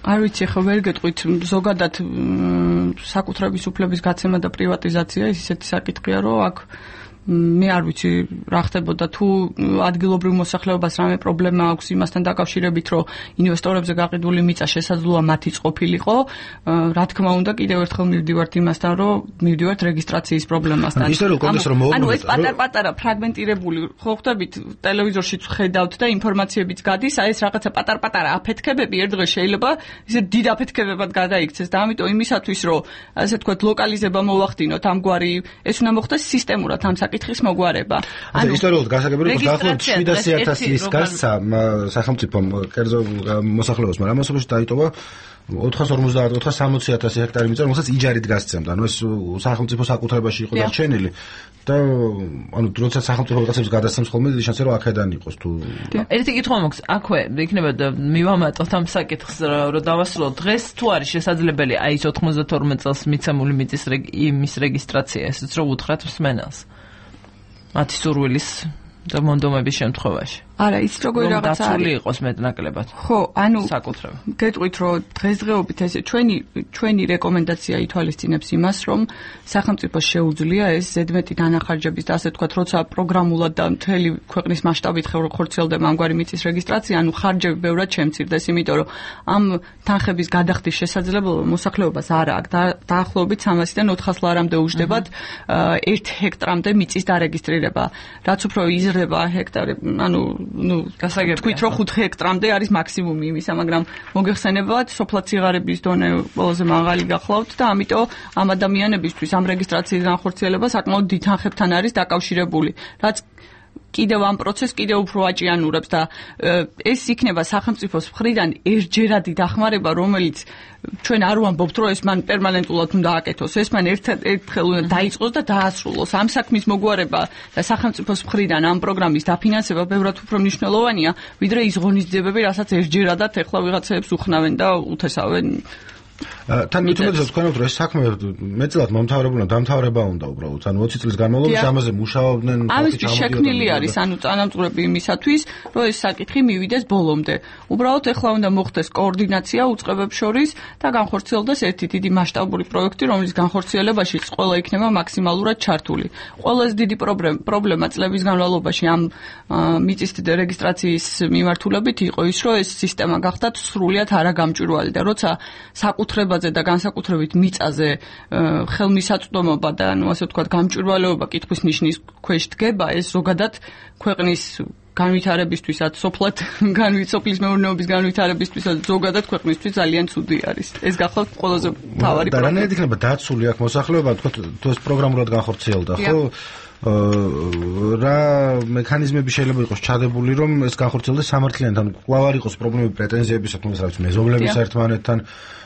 არ ვიცი, ხო ვერ გეტყვით, ზოგადად საკუთრების უფლების გაცემა და პრივატიზაცია ის ისეთი საკითხია, რომ აქ მე არ ვიცი რა ხდებოდა თუ ადგილობრივ მოსახლეობას რამე პრობლემა აქვს იმასთან დაკავშირებით, რომ ინვესტორებზე გაყიდული მიწა შესაძლოა მათი წყობილიყო. რა თქმა უნდა, კიდევ ერთხელ მივდივართ იმასთან, რომ მივდივართ რეგისტრაციის პრობლემასთან. ანუ ეს პატარ-პატარა ფრაგმენტირებული, ხო ხვდებით, ტელევიზორშიც ხედავთ და ინფორმაციებიც გადის, აი ეს რაღაცა პატარ-პატარა აფეთქებები ერთ დღეს შეიძლება ისე დიდ აფეთქებებად გადაიქცეს და ამიტომ იმისათვის, რომ ასე ვთქვათ, ლოკალიზება მოვახდინოთ ამგვარი, ეს უნდა მოხდეს სისტემურად ამ საკითხის მოგვარება. ანუ ისტორიულად გასაგებია, რომ დაახლოებით 700.000 ის გასცა სახელმწიფომ კერძო მოსახლეობას, მაგრამ ამასობაში დაიტოვა 450-460.000 ჰექტარი მიწა, რომელსაც იჯარით გასცემდა. ანუ ეს სახელმწიფო საკუთრებაში იყო დარჩენილი და ანუ როდესაც სახელმწიფო რაღაცებს გადასცემს ხოლმე, დიდი შანსია რომ აქედან იყოს თუ ერთი კითხვა მაქვს, აქვე იქნება და მივამატოთ ამ საკითხს, რომ დავასრულოთ დღეს თუ არის შესაძლებელი აი ეს 92 წელს მიცემული მიწის იმის რეგისტრაცია, ესეც რომ უთხრათ მსმენელს. მათი სურვილის და მონდომების შემთხვევაში. არა, ის როგორი რაღაცა არის. დაცული იყოს მეტნაკლებად. ხო, ანუ საკუთრება. გეტყვით, რომ დღესდღეობით ესე ჩვენი რეკომენდაცია ითვალისწინებს იმას, რომ სახელმწიფოს შეუძლია ეს ზედმეტი დანახარჯების და ასე ვთქვათ, როცა პროგრამულად და მთელი ქვეყნის მასშტაბით ხორციელდება ამგვარი მიწის რეგისტრაცია, ანუ ხარჯები ბევრად შემცირდეს, იმიტომ რომ ამ თანხების გადახდის შესაძლებლობა მოსახლეობას არ აქვს. დაახლოებით 300-დან 400 ლარამდე უჯდებათ 1 ჰექტრამდე მიწის დარეგისტრირება. რაც უფრო იზრდება ჰექტარი, ანუ თქვით რომ 5 ჰექტრამდე არის მაქსიმუმი იმისა, მაგრამ მოგეხსენებათ, სოფლად სიღარიბის დონე ყველაზე მაღალი გახლავთ და ამიტომ ამ ადამიანებისთვის ამ რეგისტრაციის განხორციელება საკმაოდ დიდ თანხებთან არის დაკავშირებული, რაც კიდევ ამ პროცესს კიდევ უფრო აჭიანურებს და ეს იქნება სახელმწიფოს მხრიდან ერთჯერადი დახმარება, რომელიც ჩვენ არ ვამბობთ, რომ ეს მან პერმანენტულად უნდა აკეთოს, ეს მან ერთხელ უნდა დაიწყოს და დაასრულოს. ამ საქმის მოგვარება და სახელმწიფოს მხრიდან ამ პროგრამის დაფინანსება ბევრად უფრო მნიშვნელოვანია, ვიდრე ის ღონისძიებები, რასაც ერთჯერადად ეხლა ვიღაცებს უხნავენ და უთესავენ. თან მithumetes თქვენებთ რომ ეს საქმე მეტწილად მომთავრებულნა დამთავრება უნდა უბრალოდ ანუ 20 წლის განმავლობაში ამაზე მუშაობდნენ ამისთვის შექმნილი არის ანუ წანამძღვრები იმისათვის რომ ეს საკითხი მივიდეს ბოლომდე უბრალოდ ეხლა უნდა მოხდეს კოორდინაცია უწყებებს შორის და განხორციელდეს ერთი დიდი მასშტაბური პროექტი რომლის განხორციელებაში ყველა იქნება მაქსიმალურად ჩართული ყველაზე დიდი პრობლემა წლების განმავლობაში ამ მიწის რეგისტრაციის მიმართულებით იყო ის რომ ეს სისტემა გახდათ სრულიად არაგამჭვირვალე და როცა საკუთრებაზე და განსაკუთრებით მიწაზე ხელმისაწვდომობა და ანუ ასე ვთქვათ გამჭვირვალეობა კითხვის ნიშნის ქვეშ დგება ეს ზოგადად ქვეყნის განვითარებისთვისაც სოფლად სოფლის მეურნეობის განვითარებისთვისაც ზოგადად ქვეყნისთვის ძალიან ცუდი არის ეს გახლავთ ყველაზე მთავარი პრობლემა და რანაირად იქნება დაცული აქ მოსახლეობა თქო თუ ეს პროგრამულად განხორციელდა ხო რა მექანიზმები შეიძლება იყოს ჩადებული რომ ეს განხორციელდეს სამართლიანად ან კვლავ არ იყოს პრობლემები პრეტენზიების საკუთრების რაც მეზობლების ერთმანეთთან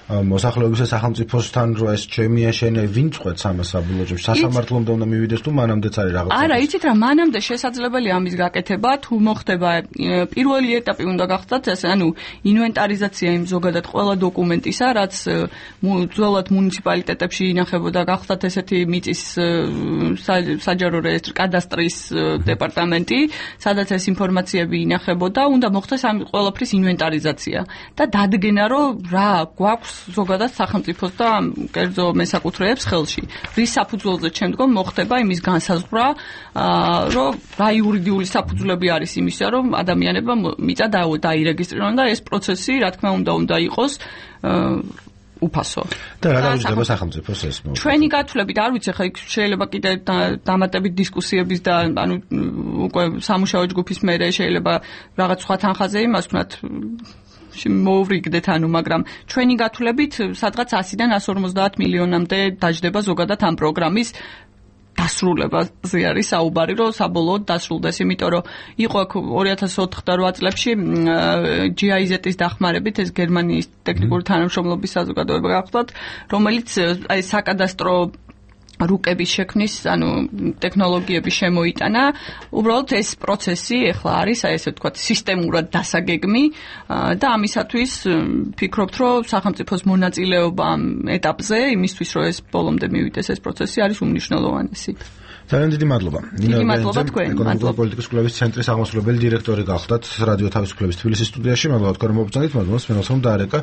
მოსახლეობის და სახელმწიფოსთან რომ ეს ჩემია შენე ვინ წყვეტს ამას საბოლოოში სასამართლომდე უნდა მივიდეს თუ მანამდეც არის რაღაც არა იცით რა მანამდე შესაძლებელია ამის გაკეთება თუ მოხდება პირველი ეტაპი უნდა გახდათ ეს ანუ ინვენტარიზაცია იმ ზოგადად ყველა დოკუმენტისა რაც ძველად მუნიციპალიტეტებში ინახებოდა გახდათ ესეთი მიწის საჯარო რეესტრი კადასტრის დეპარტამენტი სადაც ეს ინფორმაციები ინახებოდა უნდა მოხდეს ამ ყველაფრის ინვენტარიზაცია და დადგენა რომ რა გვაქვს ზოგადად სახელმწიფოს და კერძო მესაკუთრეებს ხელში. რის საფუძველზე შემდგომ მოხდება იმის განსაზღვრა, რომ რა იურიდიული საფუძვლები არის იმისა, რომ ადამიანებმა მიწა დაირეგისტრირონ და ეს პროცესი, რა თქმა უნდა იყოს უფასო. და რა გაუჩნდება სახელმწიფოს ეს? ჩვენი გათვლებით არ ვიცი, ხა იქ შეიძლება კიდე დამატებით დისკუსიების და ანუ უკვე სამუშაო ჯგუფის მერე შეიძლება რაღაც სხვა თანხაზე იმას ვქნათ მოვრიგდეთ ანუ მაგრამ ჩვენი გათვლებით სადღაც 100-დან 150 მილიონამდე დაждდება ზოგადად ამ პროგრამის დასრულებაზე არის საუბარი რომ საბოლოოდ დასრულდეს იმიტომ რომ იყო 2004-8 წლებში GIZ-ის დახმარებით ეს გერმანიის ტექნიკური თანამშრომლობის საზოგადოება გახლავთ რომელიც აი საკადასტრო რუკების შექმნის, ანუ ტექნოლოგიები შემოიტანა. უბრალოდ ეს პროცესი ახლა არის, აი ესე ვთქვათ, სისტემურად დასაგეგმი და ამისათვის ფიქრობთ, რომ სახელმწიფოს მონაწილეობა ამ ეტაპზე, იმისთვის, რომ ეს ბოლომდე მივიდეს ეს პროცესი არის უმნიშვნელოვანესი. ძალიან დიდი მადლობა. დიდი მადლობა თქვენ. ეკონომიკური პოლიტიკის კვლევის ცენტრის აღმასრულებელი დირექტორი გახდათ რადიო თავისუფლების თბილისის სტუდიაში. მადლობა თქვენ რომ მოგწონით, მადლობა სპენელს რომ დაარეკა.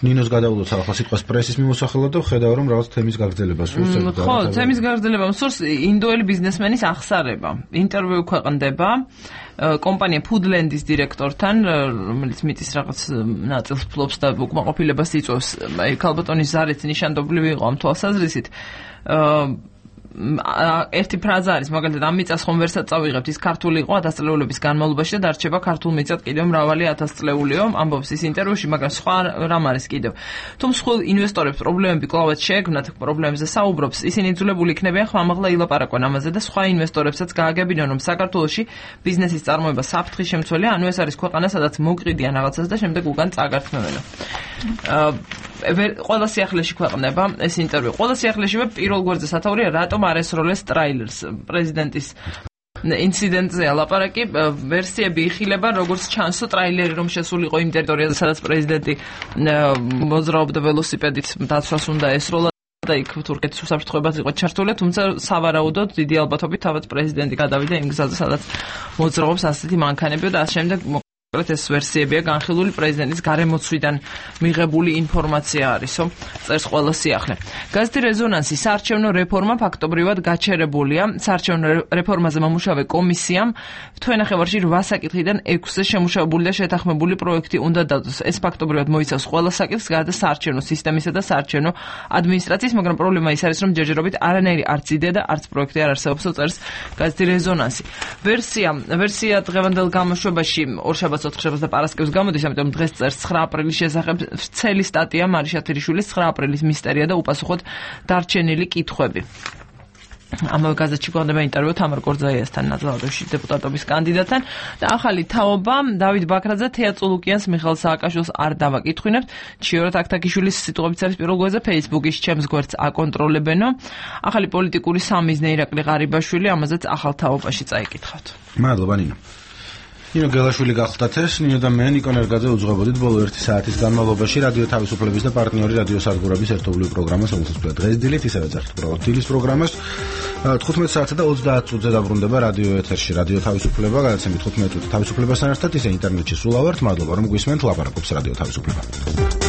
ნინოს გადავულოთ ახლა სიტყვას პრესის მიმოსახლად და ხედავ რომ რაღაც თემის გაგრძელება სურს. ხო, თემის გაგრძელება სურს ინდოელი ბიზნესმენის აღსარება. ინტერვიუ ქვეყნდება კომპანია Foodland-ის დირექტორთან, რომელიც მიწის რაღაც ნაწილს ფლობს და უკმაყოფილებას იწვევს. აი ქალბატონის ზარეთ ნიშანდობლივი იყო ამ თვალსაზრისით. ერთი ფრაზა არის მაგალითად ამ მიწას ხომ ვერსაც წავიღებთ ის ქართული იყო 1000 წლეულების განმავლობაში და დარჩება ქართულ მიწად კიდევ მრავალი 1000 წლეულიო ამბობს ის ინტერვიუში მაგრამ სხვა რამ არის კიდევ თუ მსხვილ ინვესტორებს პრობლემები კლავად შეექმნათ პრობლემებზე საუბრობს ისინი იძულებული იქნებიან ხმამაღლა ილაპარაკონ ამაზე და სხვა ინვესტორებსაც გააგებინონ რომ საქართველოში ბიზნესის წარმოება საფრთხის შემცველია ანუ ეს არის ქვეყანა სადაც მოკრიდიან რაღაცას და შემდეგ უკან წაგართმევენ ყველა სიახლეში ქვეყნდება ეს ინტერვიუ ყველა სიახლეშივე პირველ გვერდზე სათაურია რატომ არ ესროლეს ტრაილერს პრეზიდენტის ინციდენტზე ლაპარაკი ვერსიები იხილება როგორც ჩანსო ტრაილერი რომ შესულიყო იმ ტერიტორიაზე სადაც პრეზიდენტი მოძრაობდა ველოსიპედით დაცვას უნდა ესროლა და იქ თურქეთის უსაფრთხოებაც იყო ჩართული, თუმცა სავარაუდოდ დიდი ალბათობით თავად პრეზიდენტი გადავიდა იმ გზაზე, სადაც მოძრაობს ასეთი მანქანები და ამ შემდეგ ეს ვერსიებია განხილული პრეზიდენტის გარემოცვიდან მიღებული ინფორმაცია არისო, წერს ყველა სიახლე. გაზეთი რეზონანსი საარჩევნო რეფორმა ფაქტობრივად გაჩერებულია. საარჩევნო რეფორმაზე მომუშავე კომისიამ თვენახევარში 8 საკითხიდან 6-ზე შემუშავებული და შეთანხმებული პროექტი უნდა დადოს. ეს ფაქტობრივად მოიცავს ყველა საკითხს, გარდა საარჩევნო სისტემისა და საარჩევნო ადმინისტრაციის, მაგრამ პრობლემა ის არის, რომ ჯერჯერობით არანაირი არც იდეა და არც პროექტი არ არსებობს, წერს გაზეთი რეზონანსი. ვერსია დღევანდელ გამოშვებაში ორშაბათს 4 შაბათს და პარასკევს გამოდის, ამიტომ დღეს წერს 9 აპრილის შესახებ ვრცელი სტატია მარიშა თირიშვილის 9 აპრილის მისტერია და უპასუხოდ დარჩენილი კითხვები. ამავე გაზეთში გვხვდება ინტერვიუ თამარ კორძაიასთან, ნაძალადევში დეპუტატობის კანდიდატთან და ახალი თაობა დავით ბაქრაძე თეა წულუკიანს მიხეილ სააკაშვილს არ დავაკითხვინებთ. ჩიორა თაქთაქიშვილის სიტყვებით არის პირველ გვერდზე Facebook-ის ჩემს გვერდს აკონტროლებენო. ახალი პოლიტიკური სამიზნე ირაკლი ღარიბაშვილი, ამაზეც ახალ თაობაში წაიკითხავთ. მადლობა ნინო. ნინო გელაშვილი გახლდათ ეს, ნინო და მე ნიკო ნერგაძე უძღვებოდით ბოლო 1 საათის განმავლობაში რადიო თავისუფლების და პარტნიორი რადიო სარგურების ერთობლივ პროგრამას, რომელსაც ვთქვათ დღეს დილით, ისევე წერთ უბრალოდ დილის პროგრამას. 15 საათსა და 30 წუთზე დაბრუნდება რადიო ეთერში რადიო თავისუფლება, გადაცემით 15 წუთი თავისუფლებასთან ერთად, ისე ინტერნეტში სულ ავართ. მადლობა რომ გვისმენთ, ლაპარაკობს რადიო თავისუფლება.